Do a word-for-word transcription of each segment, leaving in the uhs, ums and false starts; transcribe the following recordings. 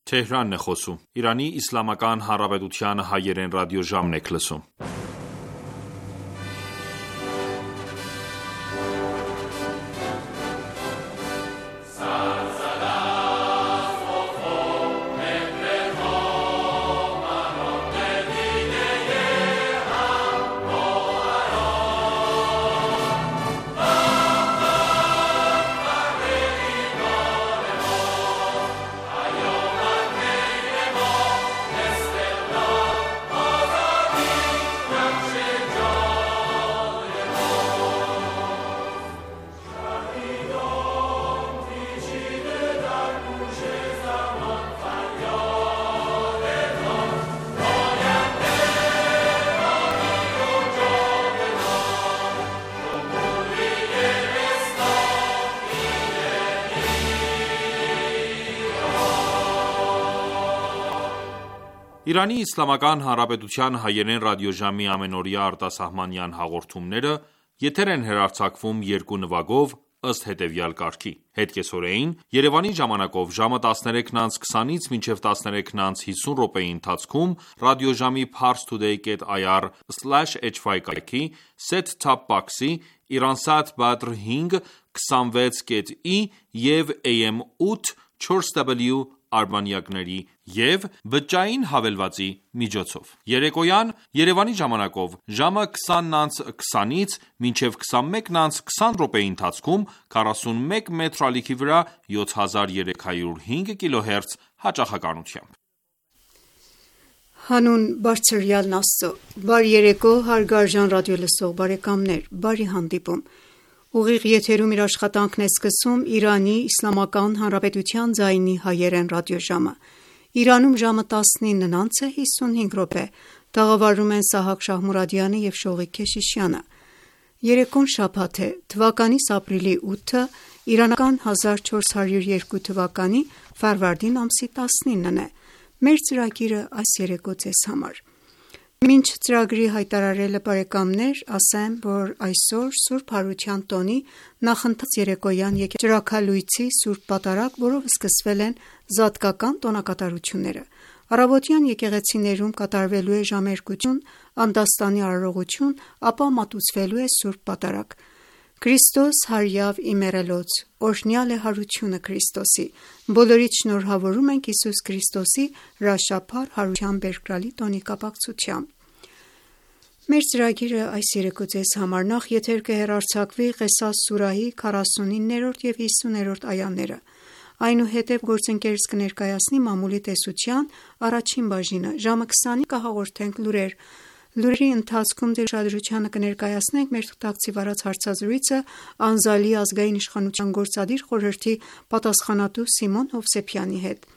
Թեհրանն է խոսում։ Իրանի Իսլամական Հանրապետության հայերեն ռադիոժամն եք լսում։ Իրանի Իսլամական Հանրապետության հայերեն ռադիոժամի ամենօրյա արտասահմանյան հաղորդումները եթեր են հեռարձակվում երկու նվագով ըստ հետևյալ կարգի. Հետկեսօրեին Երևանի ժամանակով ժամը տասներեքն անց քսանից մինչև տասներեքն անց հիսուն րոպեի ընթացքում ռադիոժամի parstoday dot i r slash h y կայքի set-top box-ի Iransat Badr հինգ քսանվեց կետ ի և A M ութ չորս W արբանյակների և բջջային հավելվածի միջոցով։ Երեկոյան Երևանի ժամանակով ժամը քսանն անց քսանից մինչև քսանմեկն անց քսան րոպեի ընթացքում քառասունմեկ մետր ալիքի վրա յոթ հազար երեք հարյուր հինգ կիլոհերց հաճախականությամբ։ Հանուն Բարձրյալն Աստծո, բարի երեկո հարգարժան ռադիոլսող բարեկամներ, բարի հանդիպում։ Ուղիղ եթերում իր աշխատանքն է սկսում Իրանի Իսլամական Հանրապետության ձայնի հայերեն ռադիոժամը։ Իրանում ժամը տասնինն անց է հիսունհինգ րոպե, տաղավարում են Սահակ Շահմուրադյանը և Շողիկ Քեշիշյանը։ Երեկոն շաբաթ է, թվականիս ապրիլի ութը, իրանական հազար չորս հարյուր երկու թվականի ֆարվարդին ամսի տասնինն է։ Մեր ծրագիրը այս երեկո ձեզ համար։ Մինչ ծրագրի հայտարարելը բարեկամներ, ասեմ, որ այսօր Սուրբ Հարության տոնի նախընթաց երեկոյան եկեղեցի Սուրբ Պատարագ, որով սկսվել են զատկական տոնակատարությունները։ Առավոտյան եկեղեցիներում կատարվելու է ժամերգություն, անդաստանի արարողություն, ապա մատուցվելու է Սուրբ Պատարագ։ Քրիստոս հարյավ իմերելոց, օրհնյալ է հարությունը Քրիստոսի։ Բոլորիդ շնորհավորում ենք Հիսուս Քրիստոսի հրաշափառ հարության բերկրալի տոնի կապակցությամբ։ Մեր ծրագիրը այս երեկո ձեզ համար նախ եթեր կհեռարձակվի Ղեսաս սուրահի քառասունիններորդ և հիսուներորդ այաները։ Այնուհետև գործընկերս կներկայացնի մամուլի տեսության առաջին բաժինը, ժամը քսանին կհաղորդենք լուրեր։ Լուրերի ընթացքում ձեր ուշադրությանը կներկայացնենք մեր թղթակցի վարած հարցազրույցը Անզալի ազգային իշխանության գործադիր խորհրդի պատասխանատու Սիմոն Հովսեփյանի հետ։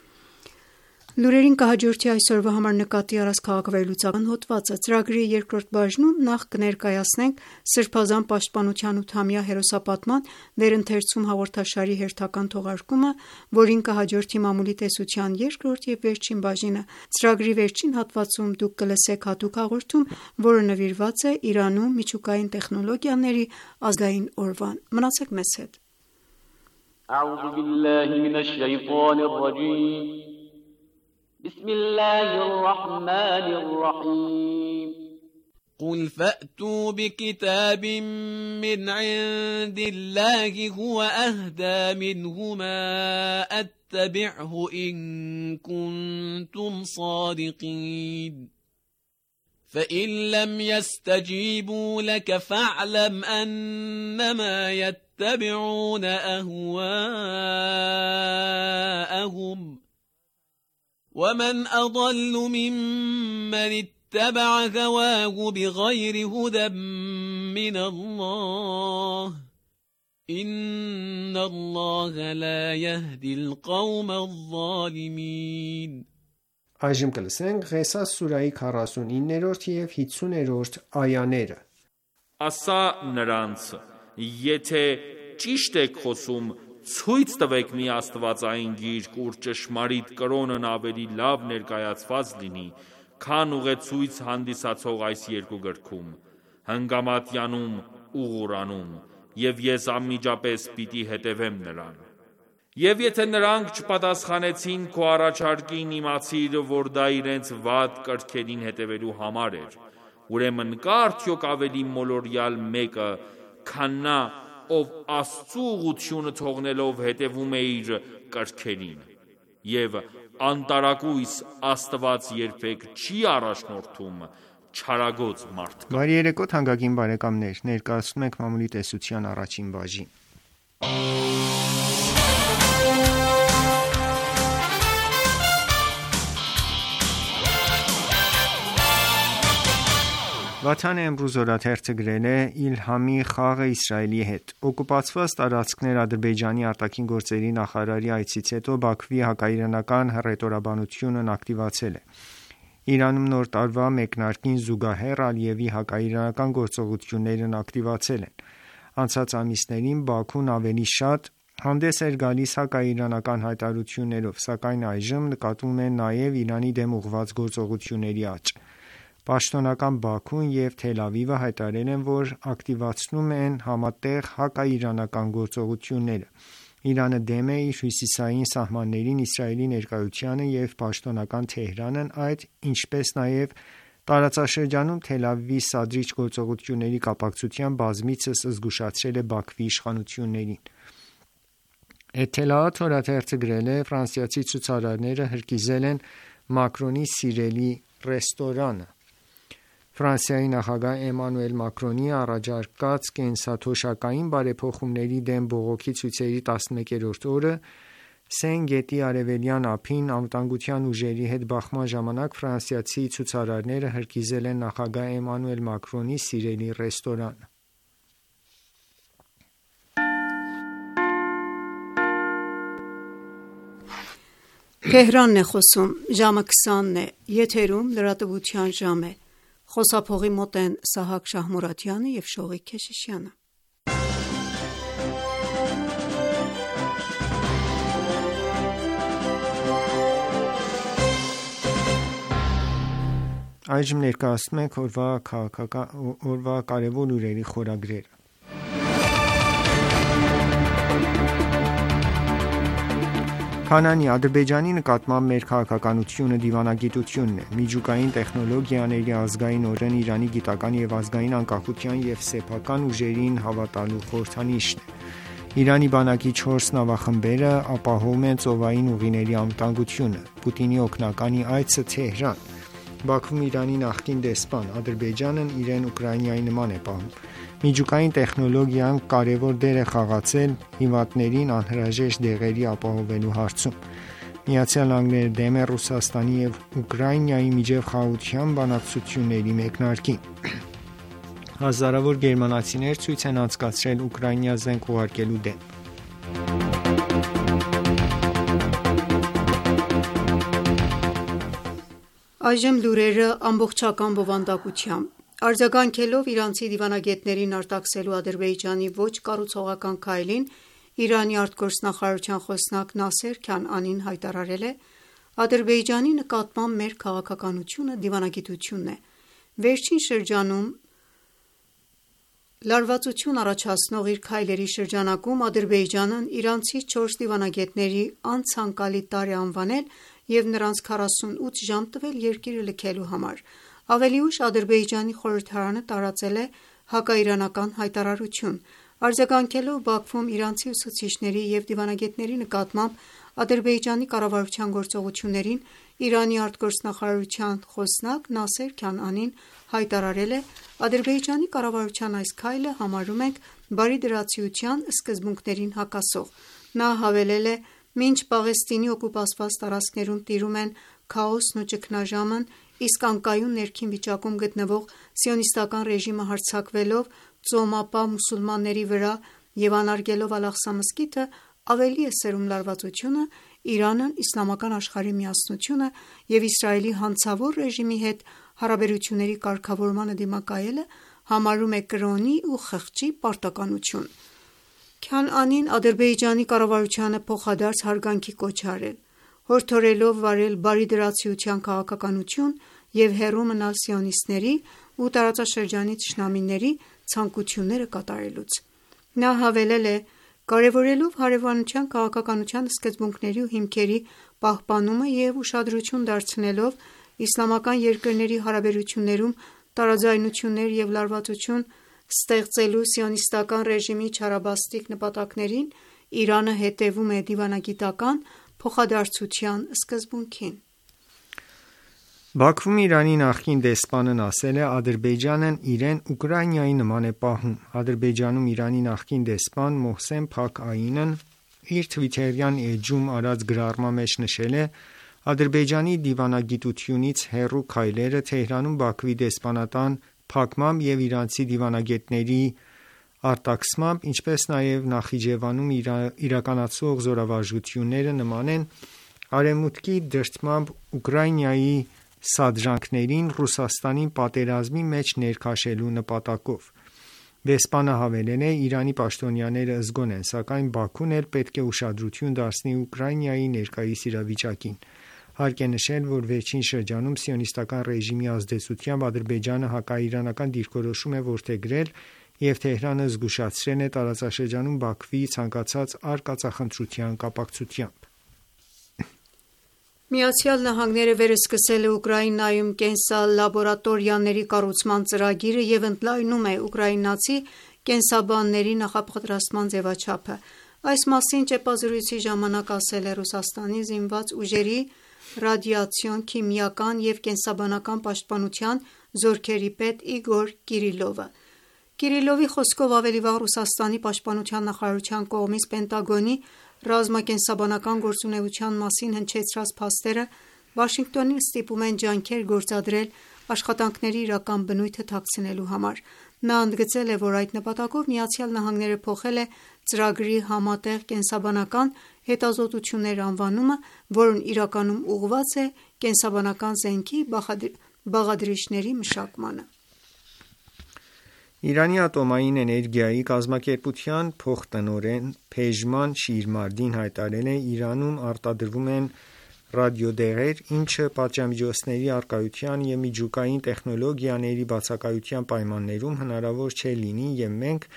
Լուրերին կհաջորդի այսօրվա համար նկատի առած քաղաքավարլուծական հոդվածը։ Ծրագրի երկրորդ բաժնում նախ կներկայացնենք Սրբազան պաշտպանության ութամյա հերոսապատման վերընթերցում հաղորդաշարի հերթական թողարկումը, որին կհաջորդի մամուլի տեսության երկրորդ և վերջին բաժինը։ Ծրագրի վերջին հատվածում դուք կլսեք հատուկ հաղորդում, որը նվիրված է Իրանում միջուկային տեխնոլոգիաների ազգային օրվան։ Մնացեք մեզ հետ։ أعوذ بالله من الشيطان الرجيم بسم الله الرحمن الرحيم قل فأتوا بكتاب من عند الله هو أهدى منه ما أتبعه إن كنتم صادقين فإن لم يستجيبوا لك فاعلم أنما يتبعون أهواءهم ومن أضل ممن اتبع هواه بغير هدى من الله إن الله لا يهدي القوم الظالمين Այժմ կլսենք Ղեսաս սուրայի քառասունիններորդ և հիսուներորդ այաները։ Ասա նրանց, եթե ճիշտ եք խոսում, ցույց տվեք մի աստվածային գիրք, ուր ճշմարիտ կրոնն ավելի լավ ներկայացված լինի, քան ուղեցույց հանդիսացող այս երկու գրքում, հնգամատյանում ու Ղուրանում, և ես անմիջապես պիտի հետևեմ նրան։ Եվ եթե նրանք չպատասխանեցին քո առաջարկին, իմացիր, որ դա իրենց վատ կրքերին հետևելու համար էր: Ուրեմն կա՞ արդյոք ավելի մոլորյալ մեկը, քան նա, ով Աստծու ուղղությունը թողնելով հետևում է իր կրքերին: Եվ անտարակույս Աստված երբեք չի առաջնորդում չարագոծ մարդկանց: Բարի երեկո թանկագին բարեկամներ: Ներկայացնում ենք մամուլի տեսության առաջին բաժին: Վաթան Էմրուզ օրաթերթը գրել է. «Իլհամի խաղը Իսրայելի հետ»: Օկուպացված տարածքներ Ադրբեջանի ԱԳ նախարարի այցից հետո Բաքվի հակաիրանական հռետորաբանությունն ակտիվացել է: Իրանում Նոր տարվա մեկնարկին զուգահեռ Ալիևի հակաիրանական գործողություններն ակտիվացել են: Անցած ամիսներին Բաքուն ավելի շատ հանդես էր գալիս հակաիրանական հայտարարություններով, սակայն այժմ նկատվում է նաև Իրանի դեմ ուղղված գործողությունների աճ: Պաշտոնական Բաքուն և Թել Ավիվը հայտարարել են, որ ակտիվացնում են համատեղ հակաիրանական գործողությունները: Իրանը դեմ է իր հյուսիսային սահմաններին Իսրայելի ներկայությանը և պաշտոնական Թեհրանն այդ, ինչպես նաև տարածաշրջանում Թել Ավիվի սադրիչ գործողությունների կապակցությամբ բազմիցս զգուշացրել է Բաքվի իշխանություններին: Էթելաաթ օրաթերթը գրել է. «Ֆրանսիացի ցուցարարները հրկիզել են Մակրոնի սիրելի ռեստորանը»: Ֆրանսիայի նախագահ Էմանուել Մակրոնի առաջարկած կենսաթոշակային բարեփոխումների դեմ բողոքի ցույցերի տասնմեկերորդ օրը Սեն գետի արևելյան ափին անվտանգության ուժերի հետ բախման ժամանակ ֆրանսիացի ցուցարարները հրկիզել են նախագահ Էմանուել Մակրոնի սիրելի ռեստորանը: Այժմ ներկայացնում ենք օրվա կարևոր լուրերի խորագրերը: Քանանի Ադրբեջանի նկատմամբ մեր քաղաքականությունը դիվանագիտությունն է: Միջուկային տեխնոլոգիաների ազգային օրն Իրանի գիտական և ազգային անկախության և սեփական ուժերին հավատալու խորհրդանիշն է: Իրանի բանակի չորս նավախմբերը ապահովում են ծովային ուղիների անվտանգությունը: Պուտինի օգնականի այցը Թեհրան: Բաքվում Իրանի նախկին դեսպան: Ադրբեջանն իրեն Ուկրաինայի նման է պահում: Միջուկային տեխնոլոգիան կարևոր դեր է խաղացել հիվանդներին անհրաժեշտ դեղերի ապահովելու հարցում: ԱՄՆ-ն դեմ է Ռուսաստանի և Ուկրաինայի միջև խաղաղության բանակցությունների մեկնարկին: Հազարավոր գերմանացիներ ցույց են անցկացրել Ուկրաինա զենք ուղարկելու դեմ: Այժմ լուրերը ամբողջական բովանդակությամբ: Արձագանքելով իրանցի դիվանագետներին արտաքսելու Ադրբեջանի ոչ կառուցողական քայլին, Իրանի արտգործնախարարության խոսնակ Նասեր Քանանին հայտարարել է. «Ադրբեջանի նկատմամբ մեր քաղաքականությունը դիվանագիտությունն է: Վերջին շրջանում լարվածություն առաջացնող իր քայլերի շրջանակում Ադրբեջանն իրանցի չորս դիվանագետների անցանկալի տարր է անվանել և նրանց քառասունութ ժամ տվել երկիրը լքելու համար»: Ավելի ուշ Ադրբեջանի խորհրդարանը տարածել է հակաիրանական հայտարարություն: Արձագանքելով Բաքվում իրանցի ուսուցիչների և դիվանագետների նկատմամբ Ադրբեջանի կառավարության գործողություններին, Իրանի արտգործնախարարության խոսնակ Նասեր Քանանին հայտարարել է. «Ադրբեջանի կառավարության այս քայլը համարում ենք բարիդրացիության սկզբունքներին հակասող»: Նա հավելել է. «Մինչ Պաղեստինի օկուպացված տարածքներում տիրում են քաոսն ու ճգնաժամն, իսկ անկայուն ներքին վիճակում գտնվող սիոնիստական ռեժիմը հարձակվելով ծոմապահ մուսուլմանների վրա և անարգելով Ալ-Աղսա մզկիթը ավելի է սերում լարվածությունը, Իրանն իսլամական աշխարհի միասնությունը և Իսրայելի հանցավոր ռեժիմի հետ հարաբերությունների կարգավորմանը դիմակայելը համարում է կրոնի ու խղճի պարտականություն»: Քանանին Ադրբեջանի կառավարությանը փոխադարձ հարգանքի կոչ է արել, հորդորելով վարել բարիդրացիության քաղաքականություն և հեռու մնալ սիոնիստների ու տարածաշրջանի թշնամիների ցանկությունները կատարելուց: Նա հավելել է. Կարևորելով հարևանության քաղաքականության սկզբունքների ու հիմքերի պահպանումը և ուշադրություն դարձնելով իսլամական երկրների հարաբերություններում տարաձայնություններ և լարվածություն ստեղծելու սիոնիստական ռեժիմի չարաբաստիկ նպատակներին, Իրանը հետևում է դիվանագիտական փոխադարձության սկզբունքին։ Բաքվում Իրանի նախկին դեսպանն ասել է. Ադրբեջանն իրեն Ուկրաինայի նման է պահում։ Ադրբեջանում Իրանի նախկին դեսպան Մոհսեն Փակ Այինն իր թվիթերյան էջում արած գրառման մեջ նշել է. Ադրբեջանի դիվանագիտությունից հեռու քայլերը Թեհրանում Բաքվի դեսպանատան փակմամբ և իրանցի դիվանագետների արտաքսմամբ, ինչպես նաև Նախիջևանում իրականացվող զորավարժությունները նման են Արևմուտքի դրդմամբ Ուկրաինայի սադրանքներին Ռուսաստանին պատերազմի մեջ ներքաշելու նպատակով։ Դեսպանը հավելել է. Իրանի պաշտոնյաները զգոն են, սակայն Բաքուն էլ պետք է ուշադրություն դարձնի Ուկրաինայի ներկայիս իրավիճակին։ Հարկ է նշել, որ վերջին շրջանում սիոնիստական ռեժիմի ազդեցությամբ Ադրբեջանը հակաիրանական դիրքորոշում է որդեգրել և Թեհրանը զգուշացրել է տարածաշրջանում Բաքվի ցանկացած արկածախնդրության կապակցությամբ։ ԱՄՆ-ը վերսկսել է Ուկրաինայում կենսալաբորատորիաների կառուցման ծրագիրը և ընդլայնում է ուկրաինացի կենսաբանների նախապատրաստման ձևաչափը։ Այս մասին ճեպազրույցի ժամանակ ասել է Ռուսաստանի զինված ուժերի ռադիացիոն, քիմիական և կենսաբանական պաշտպանության զորքերի պետ Իգոր Կիրիլովը։ Կիրիլովի խոսքով ավելի վաղ Ռուսաստանի պաշտպանության նախարարության կողմից Պենտագոնի ռազմակենսաբանական գործունեության մասին հնչեցրած փաստերը Վաշինգտոնին ստիպում են ջանքեր գործադրել աշխատանքների իրական բնույթը թաքցնելու համար։ Նա ընդգծել է, որ այդ նպատակով ԱՄՆ-ը փոխել է ծրագրի համատեղ կենսաբանական հետազոտություններ անվանումը, որն իրականում ուղղված է կենսաբանական զենքի բաղադրիչների մշակմանը։ Իրանի ատոմային էներգիայի կազմակերպության փոխտնօրեն Փեժման Շիրմարդին հայտարարել է. Իրանում արտադրվում են ռադիոդեղեր, ինչը պատժամիջոցների առկայության և միջուկային տեխնոլոգիաների բացակայության պայմաններում հնարավոր չէ լինի, և մենք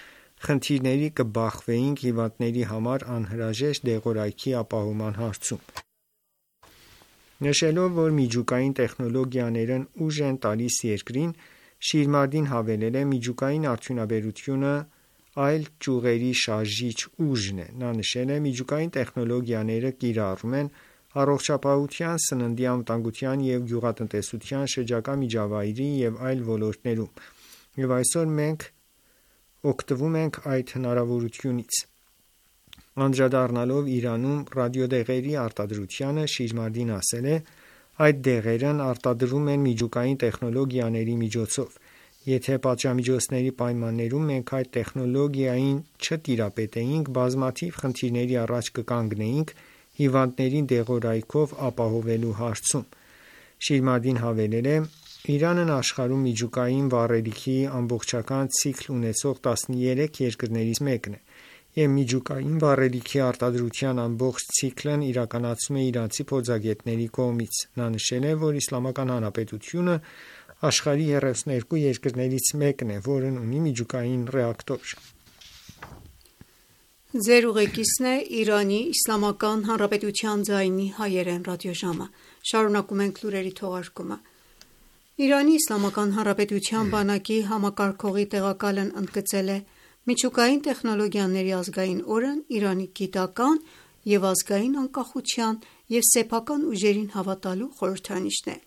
խնդիրների կբախվեինք հիվանդների համար անհրաժեշտ դեղորայքի ապահովման հարցում։ Նշելով, որ միջուկային տեխնոլոգիաներն ուժ են տալիս երկրին, Շիրմարդին հավելել է. Միջուկային արդյունաբերությունը այլ ճյուղերի շարժիչ ուժն է։ Նա նշել է. Միջուկային տեխնոլոգիաները կիրառում են առողջապահության, սննդի անվտանգության և գյուղատնտեսության, շրջակա միջավայրի և այլ ոլորտներում, և այսօր մենք օգտվում ենք այդ հնարավորությունից։ Անդրադառնալով Իրանում ռադիոդեղերի արտադրությանը, Շիրմարդին ասել է. Այդ դեղերն արտադրվում են միջուկային տեխնոլոգիաների միջոցով։ Եթե պատժամիջոցների պայմաններում մենք այդ տեխնոլոգիային չտիրապետեինք, բազմաթիվ խնդիրների առաջ կկանգնեինք հիվանդներին դեղորայքով ապահովելու հարցում։ Շիրմարդին հավելել է. Իրանն աշխարհում միջուկային վառելիքի ամբողջական ցիկլ ունեցող տասներեք երկրներից մեկն է, և միջուկային վառելիքի արտադրության ամբողջ ցիկլն իրականացվում է իրանցի փորձագետների կողմից։ Նա նշել է, որ Իսլամական Հանրապետությունը աշխարհի երեսուներկու երկրներից մեկն է, որն ունի միջուկային ռեակտոր։ Իրանի Իսլամական Հանրապետության բանակի համակարգողի տեղակալն ընդգծել է. Միջուկային տեխնոլոգիաների ազգային օրն Իրանի գիտական և ազգային անկախության և սեփական ուժերին հավատալու խորհրդանիշն է։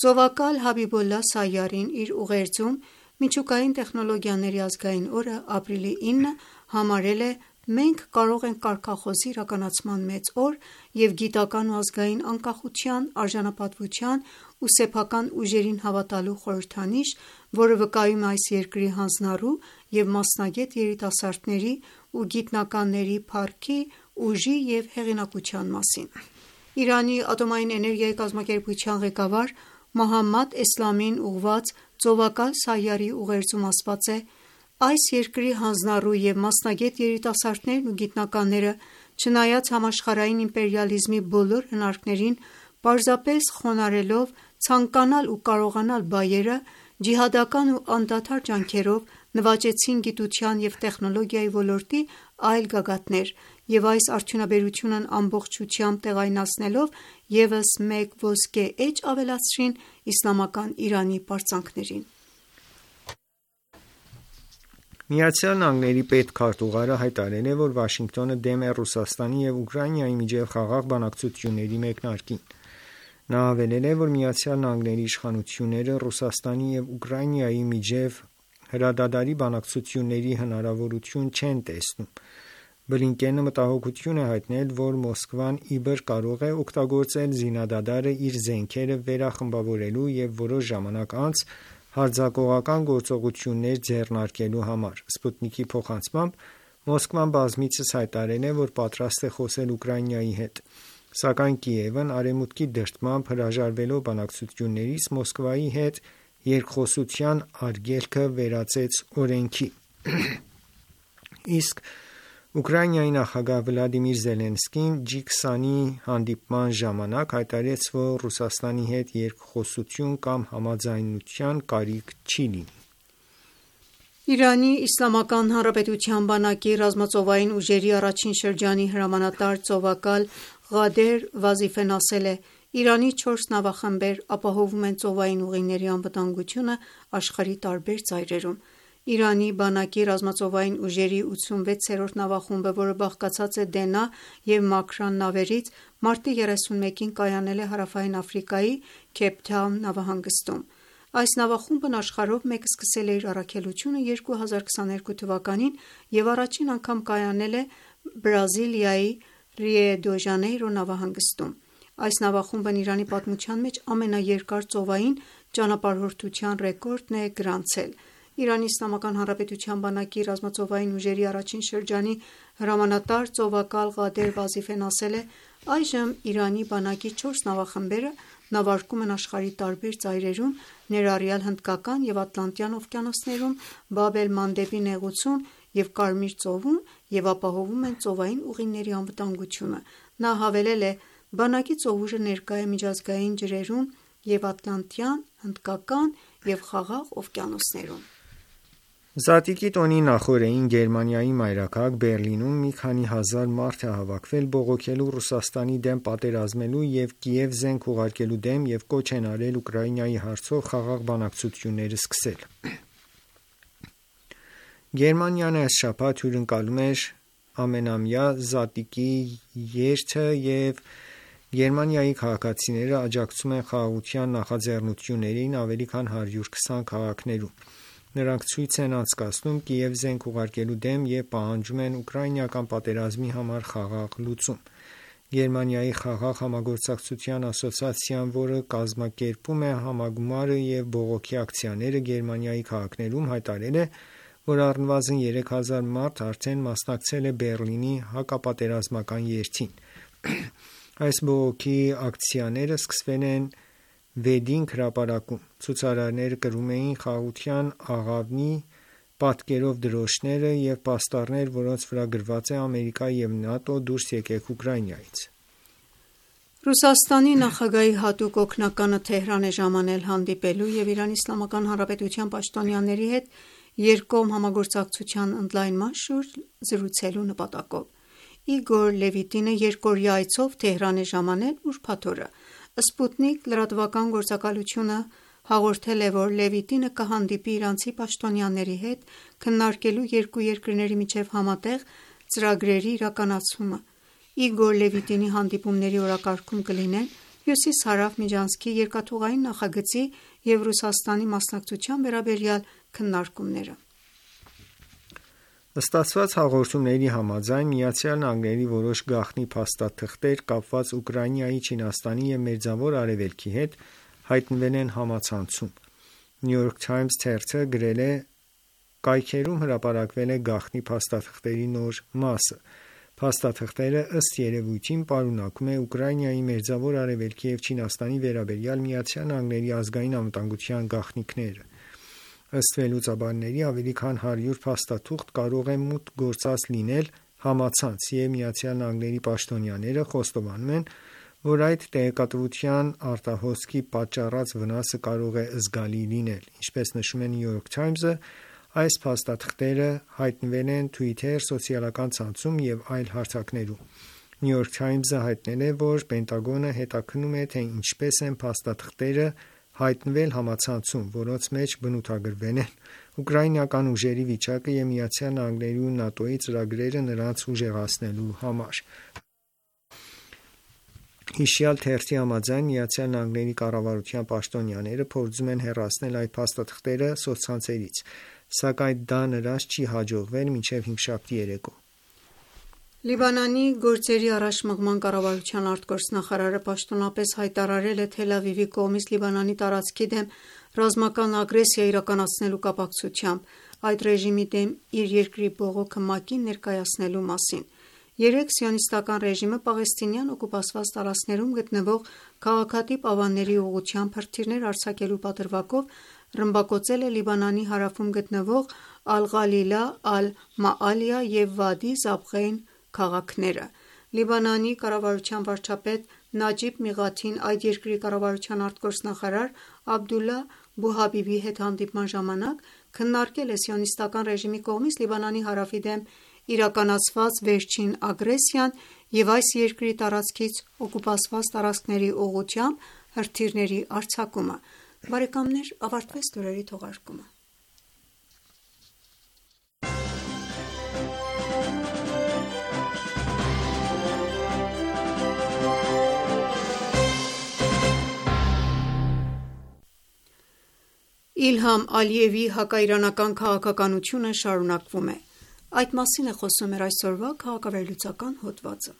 Ծովակալ Հաբիբոլլահ Սայարին իր ուղերձում միջուկային տեխնոլոգիաների ազգային օրը ապրիլի ինը համարել է «Մենք կարող ենք կարգախոսի իրականացման մեծ օր և գիտական ու ազգային անկախության, արժանապատվության ու սեփական ուժերին հավատալու խորհրդանիշ, որը վկայում է այս երկրի հանձնառու և մասնագետ երիտասարդների ու գիտնականների փառքի, ուժի և հեղինակության մասին»։ Իրանի ատոմային էներգիայի կազմակերպության ղեկավար Մոհամմադ Էսլամին ուղղված Ծովակալ Սայարի ուղերձում ասված է. «Այս երկրի հանձնառու և մասնագետ երիտասարդներն ու գիտնականները, չնայած համաշխարհային իմպերիալիզմի բոլոր հնարքներին, պարզապես խոնարհելով ցանկանալ ու կարողանալ բայերը, ջիհադական ու անդադար ջանքերով նվաճեցին գիտության և տեխնոլոգիայի ոլորտի այլ գագաթներ և այս արդյունաբերությունն ամբողջությամբ տեղայնացնելով ևս մեկ ոսկե էջ ավելացրին իսլամական Իրանի պարծանքներին: ԱՄՆ պետքարտուղարը հայտարարել է, որ Վաշինգտոնը դեմ է Ռուսաստանի և Ուկրաինայի միջև խաղաղ բանակցությունների մեկնարկին: Նա հավելել է, որ ԱՄՆ իշխանությունները Ռուսաստանի և Ուկրաինայի միջև հրադադարի բանակցությունների հնարավորություն չեն տեսնում: Բլինկենը մտահոգություն է հայտնել, որ Մոսկվան իբր կարող է օգտագործել զինադադարը իր զենքերը վերախմբավորելու և որոշ ժամանակ անց հարձակողական գործողություններ ձեռնարկելու համար: Սպուտնիկի փոխանցմամբ Մոսկվան բազմիցս հայտարարել է, որ պատրաստ է խոսել Ուկրաինայի հետ: Սակայն Կիևն Արևմուտքի դրդմամբ հրաժարվելով բանակցություններից Մոսկվայի հետ երկխոսության արգելքը վերածեց օրենքի: Իսկ Ուկրաինայի նախագահ Վլադիմիր Զելենսկին ջի քսանի հանդիպման ժամանակ հայտարարեց, որ Ռուսաստանի հետ երկխոսություն կամ համաձայնության կարիք չի լինի: Իրանի Իսլամական Հանրապետության բանակի ռազմածովային ուժերի առաջին շրջանի հրամանատար ծովակալ Ղադեր Վազիֆեն ասել է. «Իրանի չորս նավախմբեր ապահովում են ծովային ուղիների անվտանգությունը աշխարհի տարբեր ծայրերում»: Իրանի բանակի ռազմածովային ուժերի ութսունվեցերորդ նավախումբը, որը բաղկացած է Դենա և Մաքրան նավերից, մարտի երեսունմեկին կայանել է Հարավային Աֆրիկայի Քեյփթաուն նավահանգստում: Այս նավախումբն աշխարհով մեկ սկսել է իր առաքելությունը երկու հազար քսաներկու թվականին և առաջին անգամ կայանել է Բրազիլիայի Ռիո դե Ժանեյրո նավահանգստում: Այս նավախումբն Իրանի պատմության մեջ ամենաերկար ծովային ճանապարհորդության ռեկորդն է գրանցել: Իրանի Իսլամական Հանրապետության բանակի ռազմածովային ուժերի առաջին շրջանի հրամանատար ծովակալ Ղադեր Վազիֆեն ասել է. «Այժմ Իրանի բանակի չորս նավախմբերը նավարկում են աշխարհի տարբեր ծայրերում, ներառյալ Հնդկական և Ատլանտյան օվկիանոսներում, Բաբ էլ-Մանդեբի նեղուցում և Կարմիր ծովում և ապահովում են ծովային ուղիների անվտանգությունը»: Նա հավելել է. «Բանակի ծովուժը ներկա է միջազգային ջրերում և Ատլանտյան, Հնդկական և Խաղաղ օվկիանոսներում»: Զատիկի տոնի նախօրեին Գերմանիայի մայրաքաղաք Բեռլինում մի քանի հազար մարդ է հավաքվել բողոքելու Ռուսաստանի դեմ պատերազմելու և Կիև զենք ուղարկելու դեմ և կոչ են արել Ուկրաինայի հարցով խաղաղ բանակցություններ սկսել: Գերմանիան այս շաբաթ հյուրընկալում էր ամենամյա Զատիկի երթը և Գերմանիայի քաղաքացիները աջակցում են խաղաղության նախաձեռնություններին ավելի քան հարյուր քսան քաղաքներում: Նրանք ցույց են անցկացնում Կիև զենք ուղարկելու դեմ և պահանջում են ուկրաինական պատերազմի համար խաղաղ լուծում: Գերմանիայի Խաղաղ համագործակցության ասոցիացիան, որը կազմակերպում է համագումարը և բողոքի ակցիաները Գերմանիայի քաղաքներում, հայտարարել է, որ առնվազն երեք հազար մարդ արդեն մասնակցել է Բեռլինի հակապատերազմական երթին: Այս բողոքի ակցիաները սկսվել են Վեդինգ հրապարակում: Ցուցարարները կրում էին խաղաղության աղավնի պատկերով դրոշներ և պաստառներ, որոնց վրա գրված է «Ամերիկա և ՆԱՏՕ, դուրս եկեք Ուկրաինայից»: Ռուսաստանի նախագահի հատուկ օգնականը Թեհրան է ժամանել հանդիպելու և Իրանի Իսլամական Հանրապետության պաշտոնյաների հետ երկկողմ համագործակցության ընդլայնման շուրջ զրուցելու նպատակով: Իգոր Լևիտինը երկօրյա այցով Թեհրան է ժամանել ուրբաթ օրը: Սպուտնիկ լրատվական գործակալությունը հաղորդել է, որ Լևիտինը կհանդիպի իրանցի պաշտոնյաների հետ քննարկելու երկու երկրների միջև համատեղ ծրագրերի իրականացումը: Իգոր Լևիտինի հանդիպումների օրակարգում կլինեն Հյուսիս-Հարավ միջանցքի երկաթուղային նախագծի և Ռուսաստանի մասնակցության վերաբերյալ քննարկումները: Ստացված հաղորդումների համաձայն ԱՄՆ-ի որոշ գաղտնի փաստաթղթեր կապված Ուկրաինայի, Չինաստանի և Մերձավոր Արևելքի հետ հայտնվել են համացանցում: New York Times թերթը գրել է. «Կայքերում հրապարակվել է գաղտնի փաստաթղթերի նոր մասը: Փաստաթղթերը ըստ երևույթին պարունակում է Ուկրաինայի, Մերձավոր Արևելքի և Չինաստանի վերաբերյալ ԱՄՆ-ի ազգային անվտանգության գաղտնիքները: Ըստ վերլուծաբանների ավելի քան հարյուր փաստաթուղթ կարող է մուտք գործած լինել համացանց և ԱՄՆ-ի պաշտոնյաները խոստովանում են, որ այդ տեղեկատվության արտահոսքի պատճառած վնասը կարող է զգալի լինել: Ինչպես նշում է New York Times-ը, Այս փաստաթղթերը հայտնվել են Twitter սոցիալական ցանցում և այլ հարթակներում։ New York Times-ը հայտնել է, որ Պենտագոնը հետաքննում է, թե ինչպես են փաստաթղթերը հայտնվել համացանցում, որոնց մեջ բնութագրվել են ուկրաինական ուժերի վիճակը և Միացյալ Նահանգների ու ՆԱՏՕ-ի ծրագրերը նրանց ուժեղացնելու համար։ Հիշյալ թերթի համաձայն Միացյալ Նահանգների կառավարության պաշտոնյաները փորձում են հեռացնել այդ փաստաթղթերը սոցցանցերից, սակայն դա նրանց չի հաջողվել մինչև հինգշաբթի երեկո։ Լիբանանի գործերի առաջմղման կառավարության արտգործնախարարը պաշտոնապես հայտարարել է Թել Ավիվի կողմից Լիբանանի տարածքի դեմ ռազմական ագրեսիա իրականացնելու կապակցությամբ այդ ռեժիմի դեմ իր երկրի բողոքը ՄԱԿ-ին ներկայացնելու մասին։ Երեկ Սիոնիստական ռեժիմը պաղեստինյան օկուպացված տարածքներում գտնվող քաղաքատիպ ավանների ուղղությամբ հրթիռներ արձակելու պատրվակով ռմբակոծել է Լիբանանի հարավում գտնվող Ալ-Ղալիլա, Ալ-Մաալիա և Վադի Զաբղեյն քաղաքները։ Լիբանանի կառավարության վարչապետ Նաջիբ Միղաթին այդ երկրի կառավարության արտգործնախարար Աբդուլլա Բուհաբիբի հետ հանդիպման ժամանակ քննարկել է Սիոնիստական ռեժիմի կողմից Լիբանանի հարավի դեմ իրականացված վերջին ագրեսիան և այս երկրի տարածքից օկուպացված տարածքների ուղղությամբ հրթիռների արձակումը։ Բարեկամներ, ավարտվեց լուրերի թողարկումը։ Իլհամ Ալիևի հակաիրանական քաղաքականությունը շարունակվում է։ Այդ մասին է խոսում մեր այսօրվա քաղաքավերլուծական հոդվածը։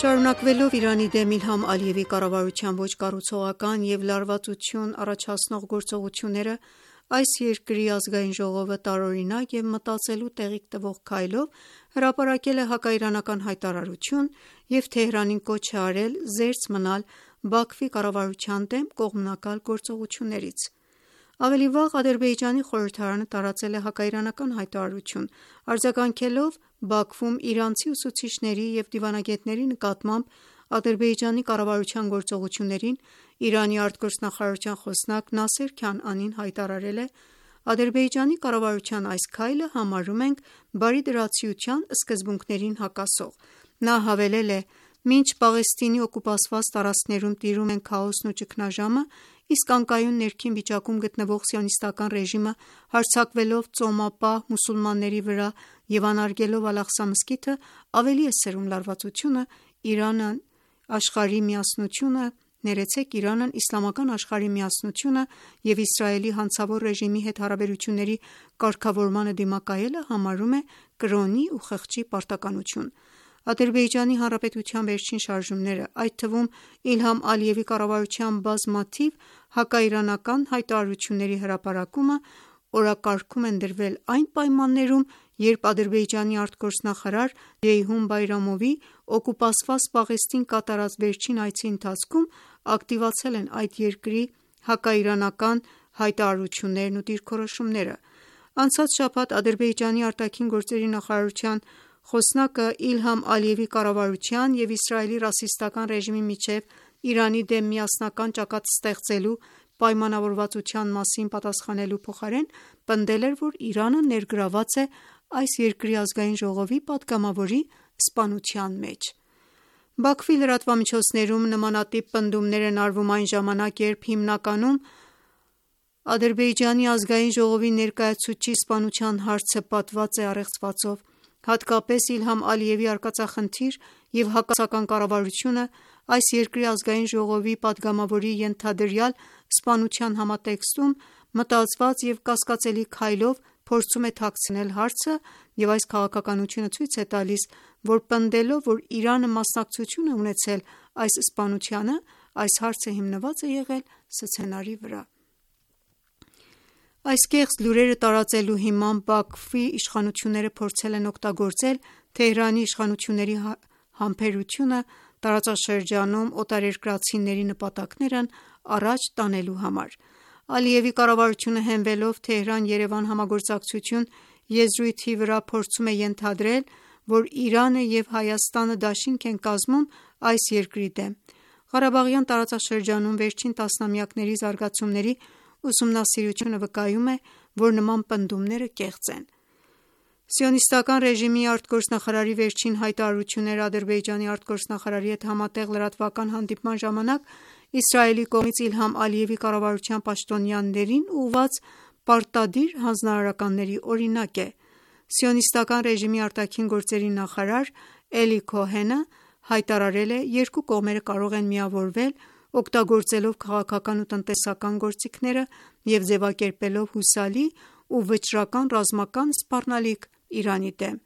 Շարունակվելով Իրանի դեմ Իլհամ Ալիևի կառավարության ոչ կառուցողական և լարվածություն առաջացնող գործողությունները, այս երկրի ազգային ժողովը տարօրինակ և մտածելու տեղիք տվող քայլով հրապարակել է հակաիրանական հայտարարություն և Թեհրանին կոչ է արել զերծ մնալ Բաքվի կառավարության դեմ կողմնակալ գործողություններից։ Ավելի վաղ Ադրբեջանի խորհրդարանը տարածել է հակաիրանական հայտարարություն, արձագանքելով Բաքվում իրանցի ուսուցիչների և դիվանագետների նկատմամբ Ադրբեջանի կառավարության գործողություններին Իրանի արտգործնախարարության խոսնակ Նասեր Քանանին հայտարարել է. «Ադրբեջանի կառավարության այս քայլը համարում ենք բարիդրացիության սկզբունքներին հակասող»։ Նա հավելել է. «Մինչ Պաղեստինի օկուպացված տարածքներում տիրում են քաոսն ու ճգնաժամը, իսկ անկայուն ներքին վիճակում գտնվող Սիոնիստական ռեժիմը հարձակվելով ծոմապահ մուսուլմանների վրա և անարգելով Ալ-Աղսա մզկիթը, ավելի է սրում լարվածությունը, Իրանն աշխարհի միասնությունը ներեցեք Իրանն իսլամական աշխարհի միասնությունը և Իսրայելի հանցավոր ռեժիմի հետ հարաբերությունների կարգավորմանը դիմակայելը համարում է կրոնի ու խղճի պարտականություն»։ Ադրբեջանի Հանրապետության վերջին շարժումները, այդ թվում Իլհամ Ալիևի կառավարության բազմաթիվ հակաիրանական հայտարարությունների հրապարակումը, օրակարգում են դրվել այն պայմաններում, երբ Ադրբեջանի արտգործնախարար Ջեյհուն Բայրամովի օկուպացված Պաղեստին կատարած վերջին այցի ընթացքում ակտիվացել են այդ երկրի հակաիրանական հայտարարություններն ու դիրքորոշումները։ Անցած շաբաթ Ադրբեջանի արտաքին գործերի նախարարության խոսնակը Իլհամ Ալիևի կառավարության և Իսրայելի ռասիստական ռեժիմի միջև Իրանի դեմ միասնական ճակատ ստեղծելու պայմանավորվածության մասին պատասխանելու փոխարեն պնդել էր, որ Իրանը ներգրավված է այս երկրի ազգային ժողովի պատգամավորի սպանության մեջ։ Բաքվի լրատվամիջոցներում նմանատիպ պնդումներ են արվում այն ժամանակ, երբ հիմնականում Ադրբեջանի ազգային ժողովի ներկայացուցչի սպանության հարցը պատված է առեղծվածով։ Հատկապես Իլհամ Ալիևի արկածախնդիր և հակասական կառավարությունը այս երկրի ազգային ժողովի պատգամավորի ենթադրյալ սպանության համատեքստում մտածված և կասկածելի քայլով փորձում է թաքցնել հարցը և այս քաղաքականությունը ցույց է տալիս, որ պնդելով, որ Իրանը մասնակցություն է ունեցել այս սպանությանը, այս հարցը հիմնված է եղել սցենարի վրա։ Այս կեղծ լուրերը տարածելու հիմամբ Բաքվի իշխանությունները փորձել են օգտագործել Թեհրանի իշխանությունների համբերությունը տարածաշրջանում օտարերկրացիների նպատակներն առաջ տանելու համար։ Ալիևի կառավարությունը հենվելով Թեհրան-Երևան համագործակցություն եզրույթի վրա փորձում է ենթադրել, որ Իրանը և Հայաստանը դաշինք են կազմում այս երկրի դեմ։ Ղարաբաղյան տարածաշրջանում վերջին տասնամյակների զարգացումների ուսումնասիրությունը վկայում է, որ նման պնդումները կեղծ են։ Սիոնիստական ռեժիմի արտգործնախարարի վերջին հայտարարությունները Ադրբեջանի արտգործնախարարի հետ համատեղ լրատվական հանդիպման ժամանակ Իսրայելի կողմից Իլհամ Ալիևի կառավարության պաշտոնյաներին ուղղված պարտադիր հանձնարարականների օրինակ է։ Սիոնիստական ռեժիմի արտաքին գործերի նախարար Էլի Քոհենը հայտարարել է. «Երկու կողմերը կարող են միավորվել՝ օգտագործելով քաղաքական ու տնտեսական գործիքները և ձևակերպելով հուսալի ու վճռական ռազմական սպառնալիք Իրանի դեմ»։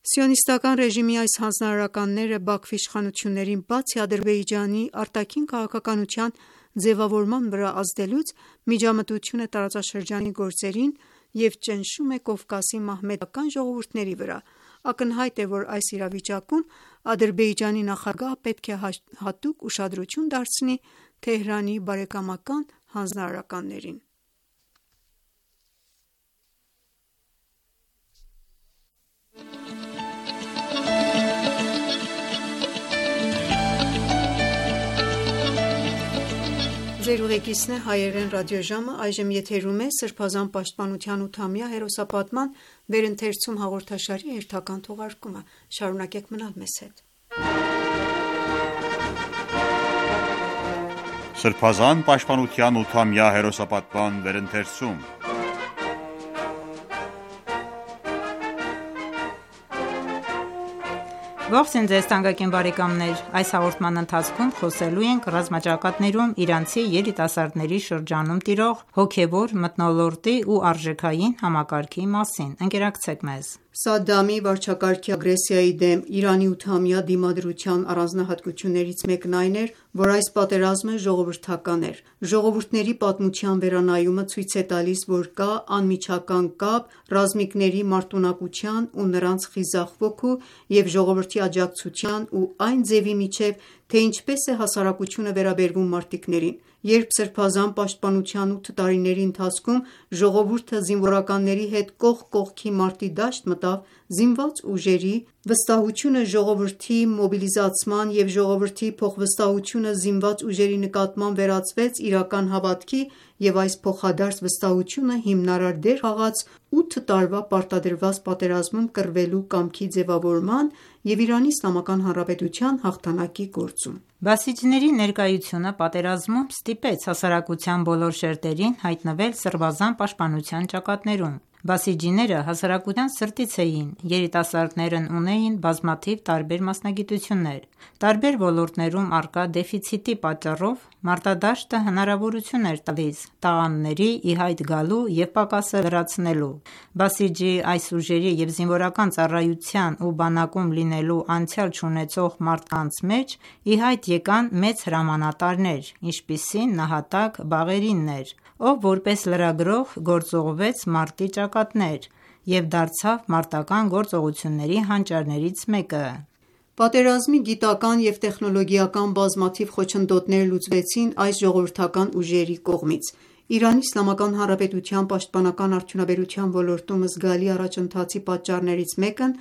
Սիոնիստական ռեժիմի այս հանձնարարականները Բաքվի իշխանություններին բացի Ադրբեջանի արտաքին քաղաքականության ձևավորման վրա ազդելուց, միջամտություն է տարածաշրջանի գործերին և ճնշում է Կովկասի մահմեդական ժողովուրդների վրա։ Ակնհայտ է, որ այս իրավիճակում Ադրբեջանի նախագահը պետք է հատուկ ուշադրություն դարձնի Թեհրանի բարեկամական հանձնարարականներին։ Սրբազան պաշտպանության ութամյա հերոսապատման վերընթերցում Ողջույն ձեզ թանկագին բարեկամներ: Այս հաղորդման ընթացքում խոսելու ենք ռազմաճակատներում իրանցի երիտասարդների շրջանում տիրող հոգևոր մթնոլորտի ու արժեքային համակարգի մասին: Ընկերակցեք մեզ: Սադամի վարչակարգի ագրեսիայի դեմ Իրանի ութամյա դիմադրության առանձնահատկություններից մեկն այն էր, որ այս պատերազմը ժողովրդական էր։ Ժողովուրդների պատմության վերանայումը ցույց է տալիս, որ կա անմիջական կապ ռազմիկների մարտունակության ու նրանց խիզախ ոգու և ժողովրդի աջակցության ու այն ձևի միջև, թե ինչպես է հասարակությունը վերաբերվում մարտիկներին։ Երբ Սրբազան պաշտպանության ութ տարիների ընթացքում ժողովուրդը զինվորականների հետ կողք կողքի մարտի դաշտ մտավ, զինված ուժերի վստահությունը ժողովրդի մոբիլիզացման և ժողովրդի փոխվստահությունը զինված ուժերի նկատմամբ վերածվեց իրական հավատքի և այս փոխադարձ վստահությունը հիմնարար դեր խաղաց ութ տարվա պարտադրված պատերազմում կռվելու կամքի ձևավորման և Իրանի Իսլամական Հանրապետության հաղթանակի գործում։ Բասիջիների ներկայությունը պատերազմում ստիպեց հասարակության բոլոր շերտերին հայտնվել սրբազան պաշտպանության ճակատներում։ Բասիջիները հասարակության սրտից էին, երիտասարդներն ունեին բազմաթիվ տարբեր մասնագիտություններ։ Տարբեր ոլորտներում առկա դեֆիցիտի պատճառով մարտադաշտը հնարավորություն էր տալիս տաղանդների ի հայտ գալու և պակասը լրացնելու։ Բասիջի այս ուժերի և զինվորական ծառայության ու բանակում լինելու անցյալ չունեցող մարդկանց մեջ ի հայտ եկան մեծ հրամանատարներ, ինչպիսին նահատակ Բաղերին էր, ով որպես լրագրող գործուղվեց մարտի ճակատներ և դարձավ մարտական գործողությունների հանճարներից մեկը։ Պատերազմի գիտական և տեխնոլոգիական բազմաթիվ խոչընդոտներ լուծվեցին այս ժողովրդական ուժերի կողմից։ Իրանի Իսլամական Հանրապետության պաշտպանական արդյունաբերության ոլորտում զգալի առաջընթացի պատճառներից մեկն